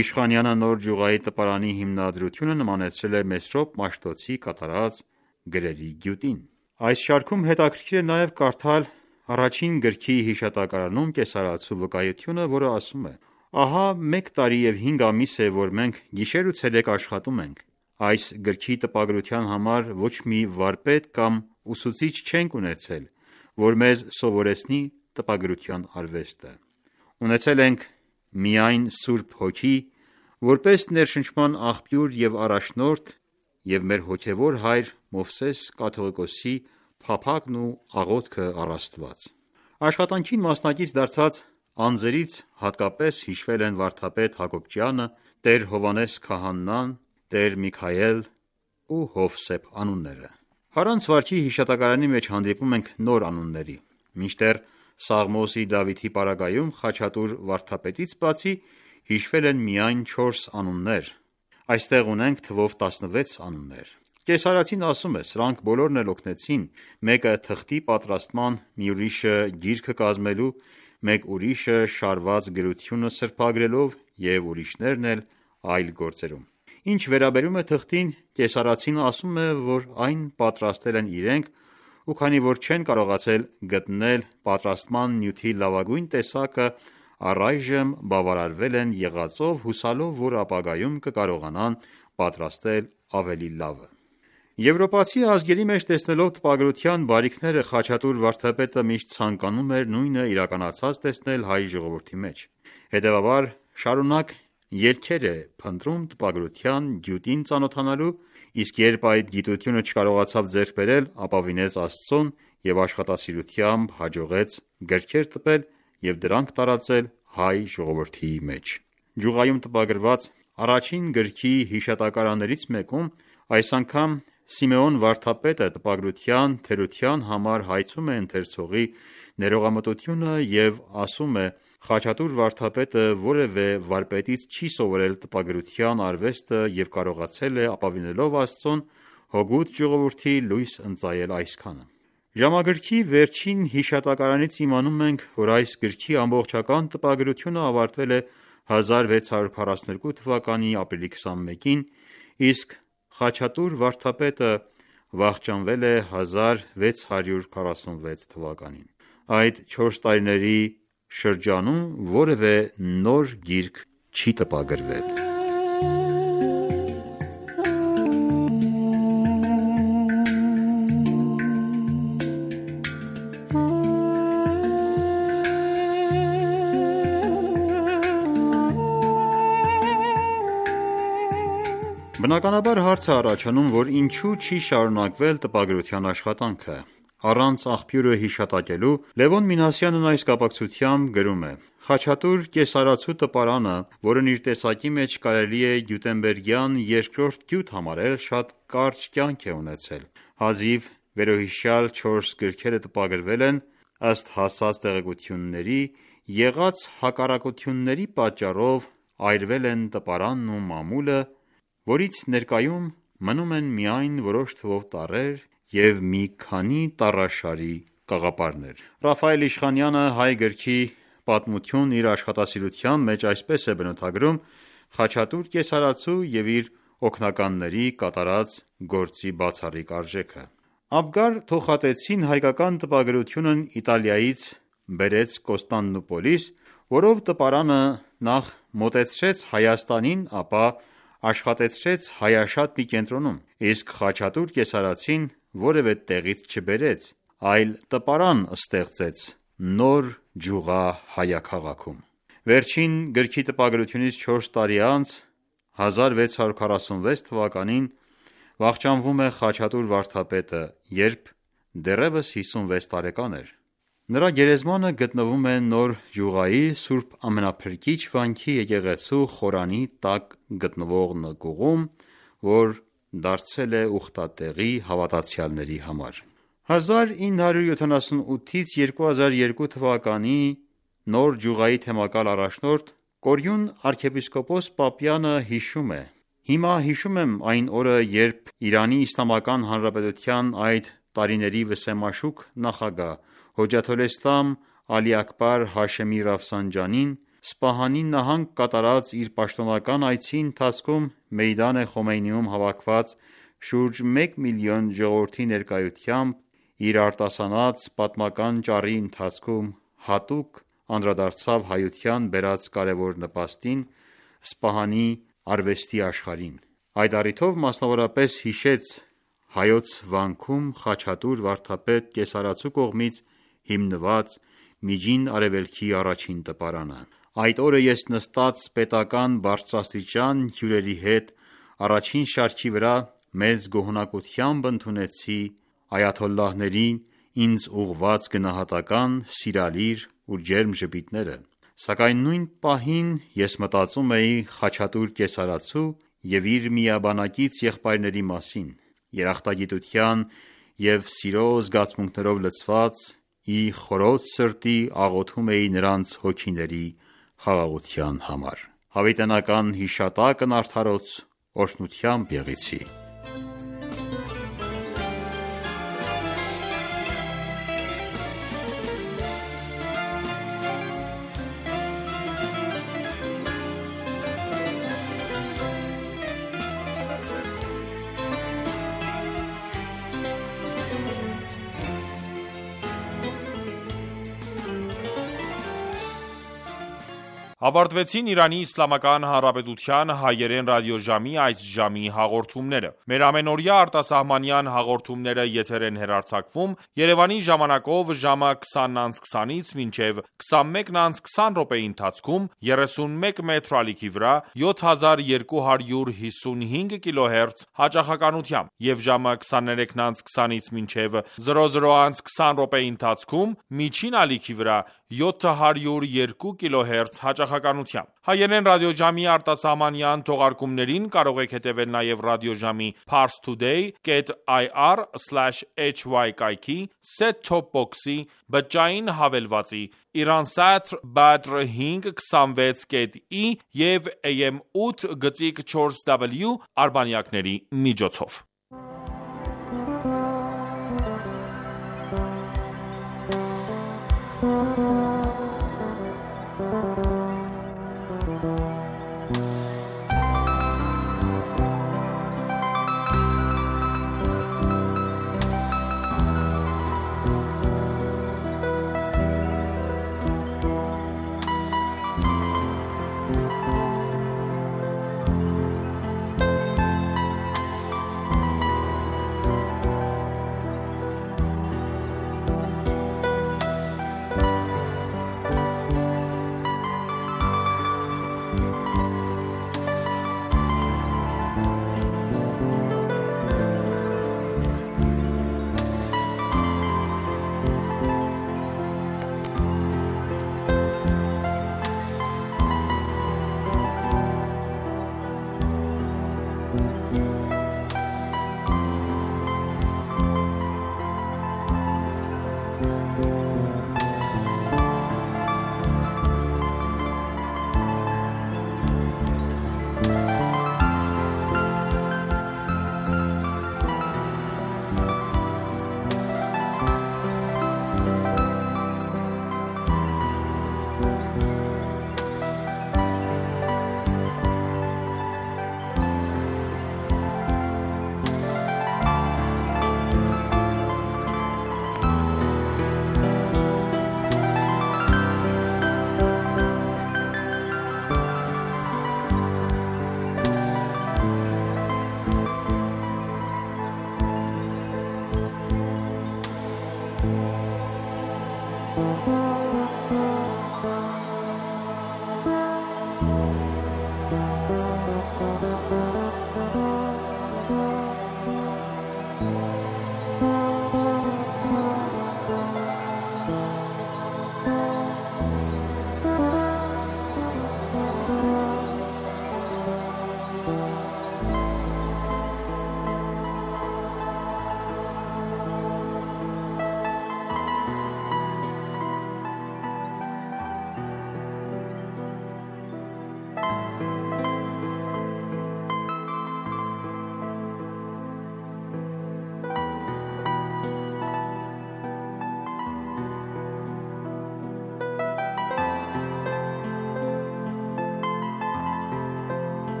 S6: Իշխանյանը նոր ջուղայի տպարանի հիմնադրությունը նմանեցրել է Մեսրոպ Մաշտոցի կատարած գրերի գյուտին։ Այս շարքում հետաքրքիր է նաև կարդալ առաջին գրքի հիշատակարանում կեսարածու վկայությունը, որը ասում է. «Ահա մեկ տարի և հինգ ամիս է, որ մենք գիշեր ու ցերեկ աշխատում ենք։ Այս գրքի տպագրության համար ոչ մի վարպետ կամ ուսուցիչ չենք ունեցել, որ մեզ սովորեցնի տպագրության արվեստը։ Ունեցել ենք միայն Սուրբ Հոգի, որպես ներշնչման աղբյուր և առաջնորդ և մեր հոգևոր հայր Մովսես կաթողիկոսի փափագն ու աղոթքը առ Աստված։ Աշխատանքին մասնակից դարձած անձերից հատկապես հիշվել են վարդապետ Հակոբյանը, տեր Հովհաննես քահանան, տեր Միքայել ու Հովսեփ անունները։ Հարանց վարքի հիշատակարանի մեջ հանդիպում ենք նոր անունների, մինչդեռ Սաղմոսի Դավիթի պարագայում Խաչատուր վարդապետից բացի հիշվել են միայն չորս անուններ, այստեղ ունենք թվով տասնվեց անուններ։ Կեսարացին ասում է, սրանք բոլորն էլ օգնեցին, մեկը թղթի պատրաստման, մի ուրիշը գիրքը կազմելու, մեկ ուրիշը շարված գրությունը սրբագրելով և ուրիշներն էլ այլ գործերում։ Ինչ վերաբերում է թղթին, կեսարացին ասում է, որ այն պատրաստել են իրենք, ու քանի որ չեն կարողացել գտնել պատրաստման նյութի լավագույն տեսակը, առայժմ բավարարվել են եղածով, հուսալով, որ ապագայում կկարողանան պատրաստել ավելի լավը։ Եվրոպացի ազգերի մեջ տեսնելով տպագրության բարիքները, Խաչատուր վարդապետը միշտ ցանկանում էր նույնը իրականացած տեսնել հայ ժողովրդի մեջ։ Հետևաբար շարունակ ելքեր է փնտրում տպագրության գյուտին ծանոթանալու, իսկ երբ այդ գիտությունը չկարողացավ ձեռք բերել, ապավինեց Աստծուն և աշխատասիրությամբ հաջողեց գրքեր տպել և դրանք տարածել հայ ժողովրդի մեջ։ Ջուղայում տպագրված առաջին գրքի հիշատակարաններից մեկում այս անգամ Սիմեոն վարդապետը տպագրության թերության համար հայցում է ընթերցողի ներողամտությունը և ասում է. Խաչատուր վարդապետը որևէ վարպետից չի սովորել տպագրության արվեստը և կարողացել է ապավինելով Աստծուն հօգուտ ժողովրդի լույս ընծայել այսքանը։ Ժամագրքի վերջին հիշատակարանից իմանում ենք, որ այս գրքի ամբողջական տպագրությունը ավարտվել է հազար վեց հարյուր քառասունութ երկու թվականի ապրիլի քսանմեկին, իսկ Խաչատուր վարդապետը վախճանվել է հազար վեց հարյուր քառասունվեց թվականին։ Այդ չորս տարիների շրջանում որևէ նոր գիրք չի տպագրվել։ Բնականաբար հարց է առաջանում, որ ինչու չի շարունակվել տպագրության աշխատանքը։ Առանց աղբյուրը հիշատակելու Լևոն Մինասյանն այս կապակցությամբ գրում է. Խաչատուր կեսարացու տպարանը, որն իր տեսակի մեջ կարելի է գյուտենբերգյան երկրորդ գյուտ համարել, շատ կարճ կյանք է ունեցել։ Հազիվ վերոհիշյալ չորս գրքերը տպագրվել են, ըստ հասած տեղեկությունների, եղած հակառակությունների պատճառով այրվել են տպարանն ու մամուլը, որից ներկայում մնում են միայն որոշ թվով տառեր և մի քանի տառաշարի կաղապարներ։ Ռաֆայել Իշխանյանը հայ գրքի պատմությունն իր աշխատասիրության մեջ այսպես է բնութագրում Խաչատուր կեսարացու և իր օգնականների կատարած գործի բացառիկ արժեքը։ Աբգար Թոխատեցին հայկական տպագրությունն Իտալիայից բերեց Կոստանդնուպոլիս, որով տպարանը նախ մոտեցրեց Հայաստանին, ապա աշխատեցրեց Հայաշատ մի կենտրոնում, իսկ Խաչատուր կեսարացին որևէ տեղից չբերեց, այլ տպարան ստեղծեց նոր ջուղա հայաքաղաքում։ Վերջին գրքի տպագրությունից չորս տարի անց, հազար վեց հարյուր քառասունվեց թվականին, վախճանվում է Խաչատուր վարդապետը, երբ դեռևս հիսունվեց տարեկան էր։ Նրա գերեզմանը գտնվում է Նոր Ջուղայի Սուրբ Ամենափրկիչ վանքի եկեղեցու խորանի տակ գտնվող նկուղում, որ դարձել է ուխտատեղի հավատացյալների համար։ հազար ինը հարյուր յոթանասունութից երկու հազար երկու թվականի Նոր Ջուղայի թեմակալ առաջնորդ Կորյուն arczepiskopos Պապյանը հիշում է. Հիմա հիշում եմ այն օրը, երբ Իրանի Իսլամական Հանրապետության այդ տարիների վսեմաշուք նախագահ Հոջաթոլէսլամ Ալի Աքբար Հաշեմի Ռաֆսանջանին Սպահանի նահանգ կատարած իր պաշտոնական այցի ընթացքում Մեյդան Խոմեյնիում հավաքված շուրջ մեկ միլիոն ժողովրդի ներկայությամբ իր արտասանած պատմական ճառի ընթացքում հատուկ անդրադարձավ հայության բերած կարևոր նպաստին Սպահանի արվեստի աշխարհին։ Այդ առիթով մասնավորապես հիշեց Հայոց վանքում Խաչատուր վարդապետ կեսարացու կողմից հիմնված Միջին Արևելքի առաջին տպարանը։ Այդ օրը ես նստած պետական բարձրաստիճան հյուրերի հետ առաջին շարքի վրա մեծ գոհունակությամբ ընդունեցի այաթոլլահներին ինձ ուղղված գնահատական, սիրալիր ու ջերմ ժպիտները, սակայն նույն պահին ես մտածում էի Խաչատուր կեսարացու և իր միաբանակից եղբայրների մասին, երախտագիտության և սիրո զգացմունքներով լցված ի խորոց սրտի աղոթում էի նրանց հոգիների խաղաղության համար: Հավիտենական հիշատակն արդարոց օրհնությամբ եղեցի:
S1: Ավարտվեցին Իրանի Իսլամական Հանրապետության հայերեն ռադիոժամի այս ժամի հաղորդումները: Մեր ամենօրյա արտասահմանյան հաղորդումները եթեր են հեռարձակվում Երևանի ժամանակով ժամը քսանից քսանից մինչև քսանմեկն անց քսան րոպեի ընթացքում երեսունմեկ մետր ալիքի վրա յոթ հազար երկու հարյուր հիսունհինգ կիլոհերց հաճախականությամբ և ժամը քսաներեքն անց քսանից մինչև զրո զրո անց քսան րոպեի ընթացքում միջին ալիքի վրա յոթ հարյուր երկու կիլոհերց հաճախականությամբ: Հայերեն ռադիոժամի արտասահմանյան թողարկումներին կարող եք հետևել նաև ռադիոժամի parstoday dot i r slash h y կայքի, set-top box-ի, բջջային հավելվածի, Iransat Badr հինգ քսանվեց կետ ի և A M ութ գծիկ չորս w արբանյակների միջոցով: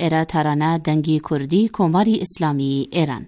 S8: Era tarana dangi kurdi komari islami Iran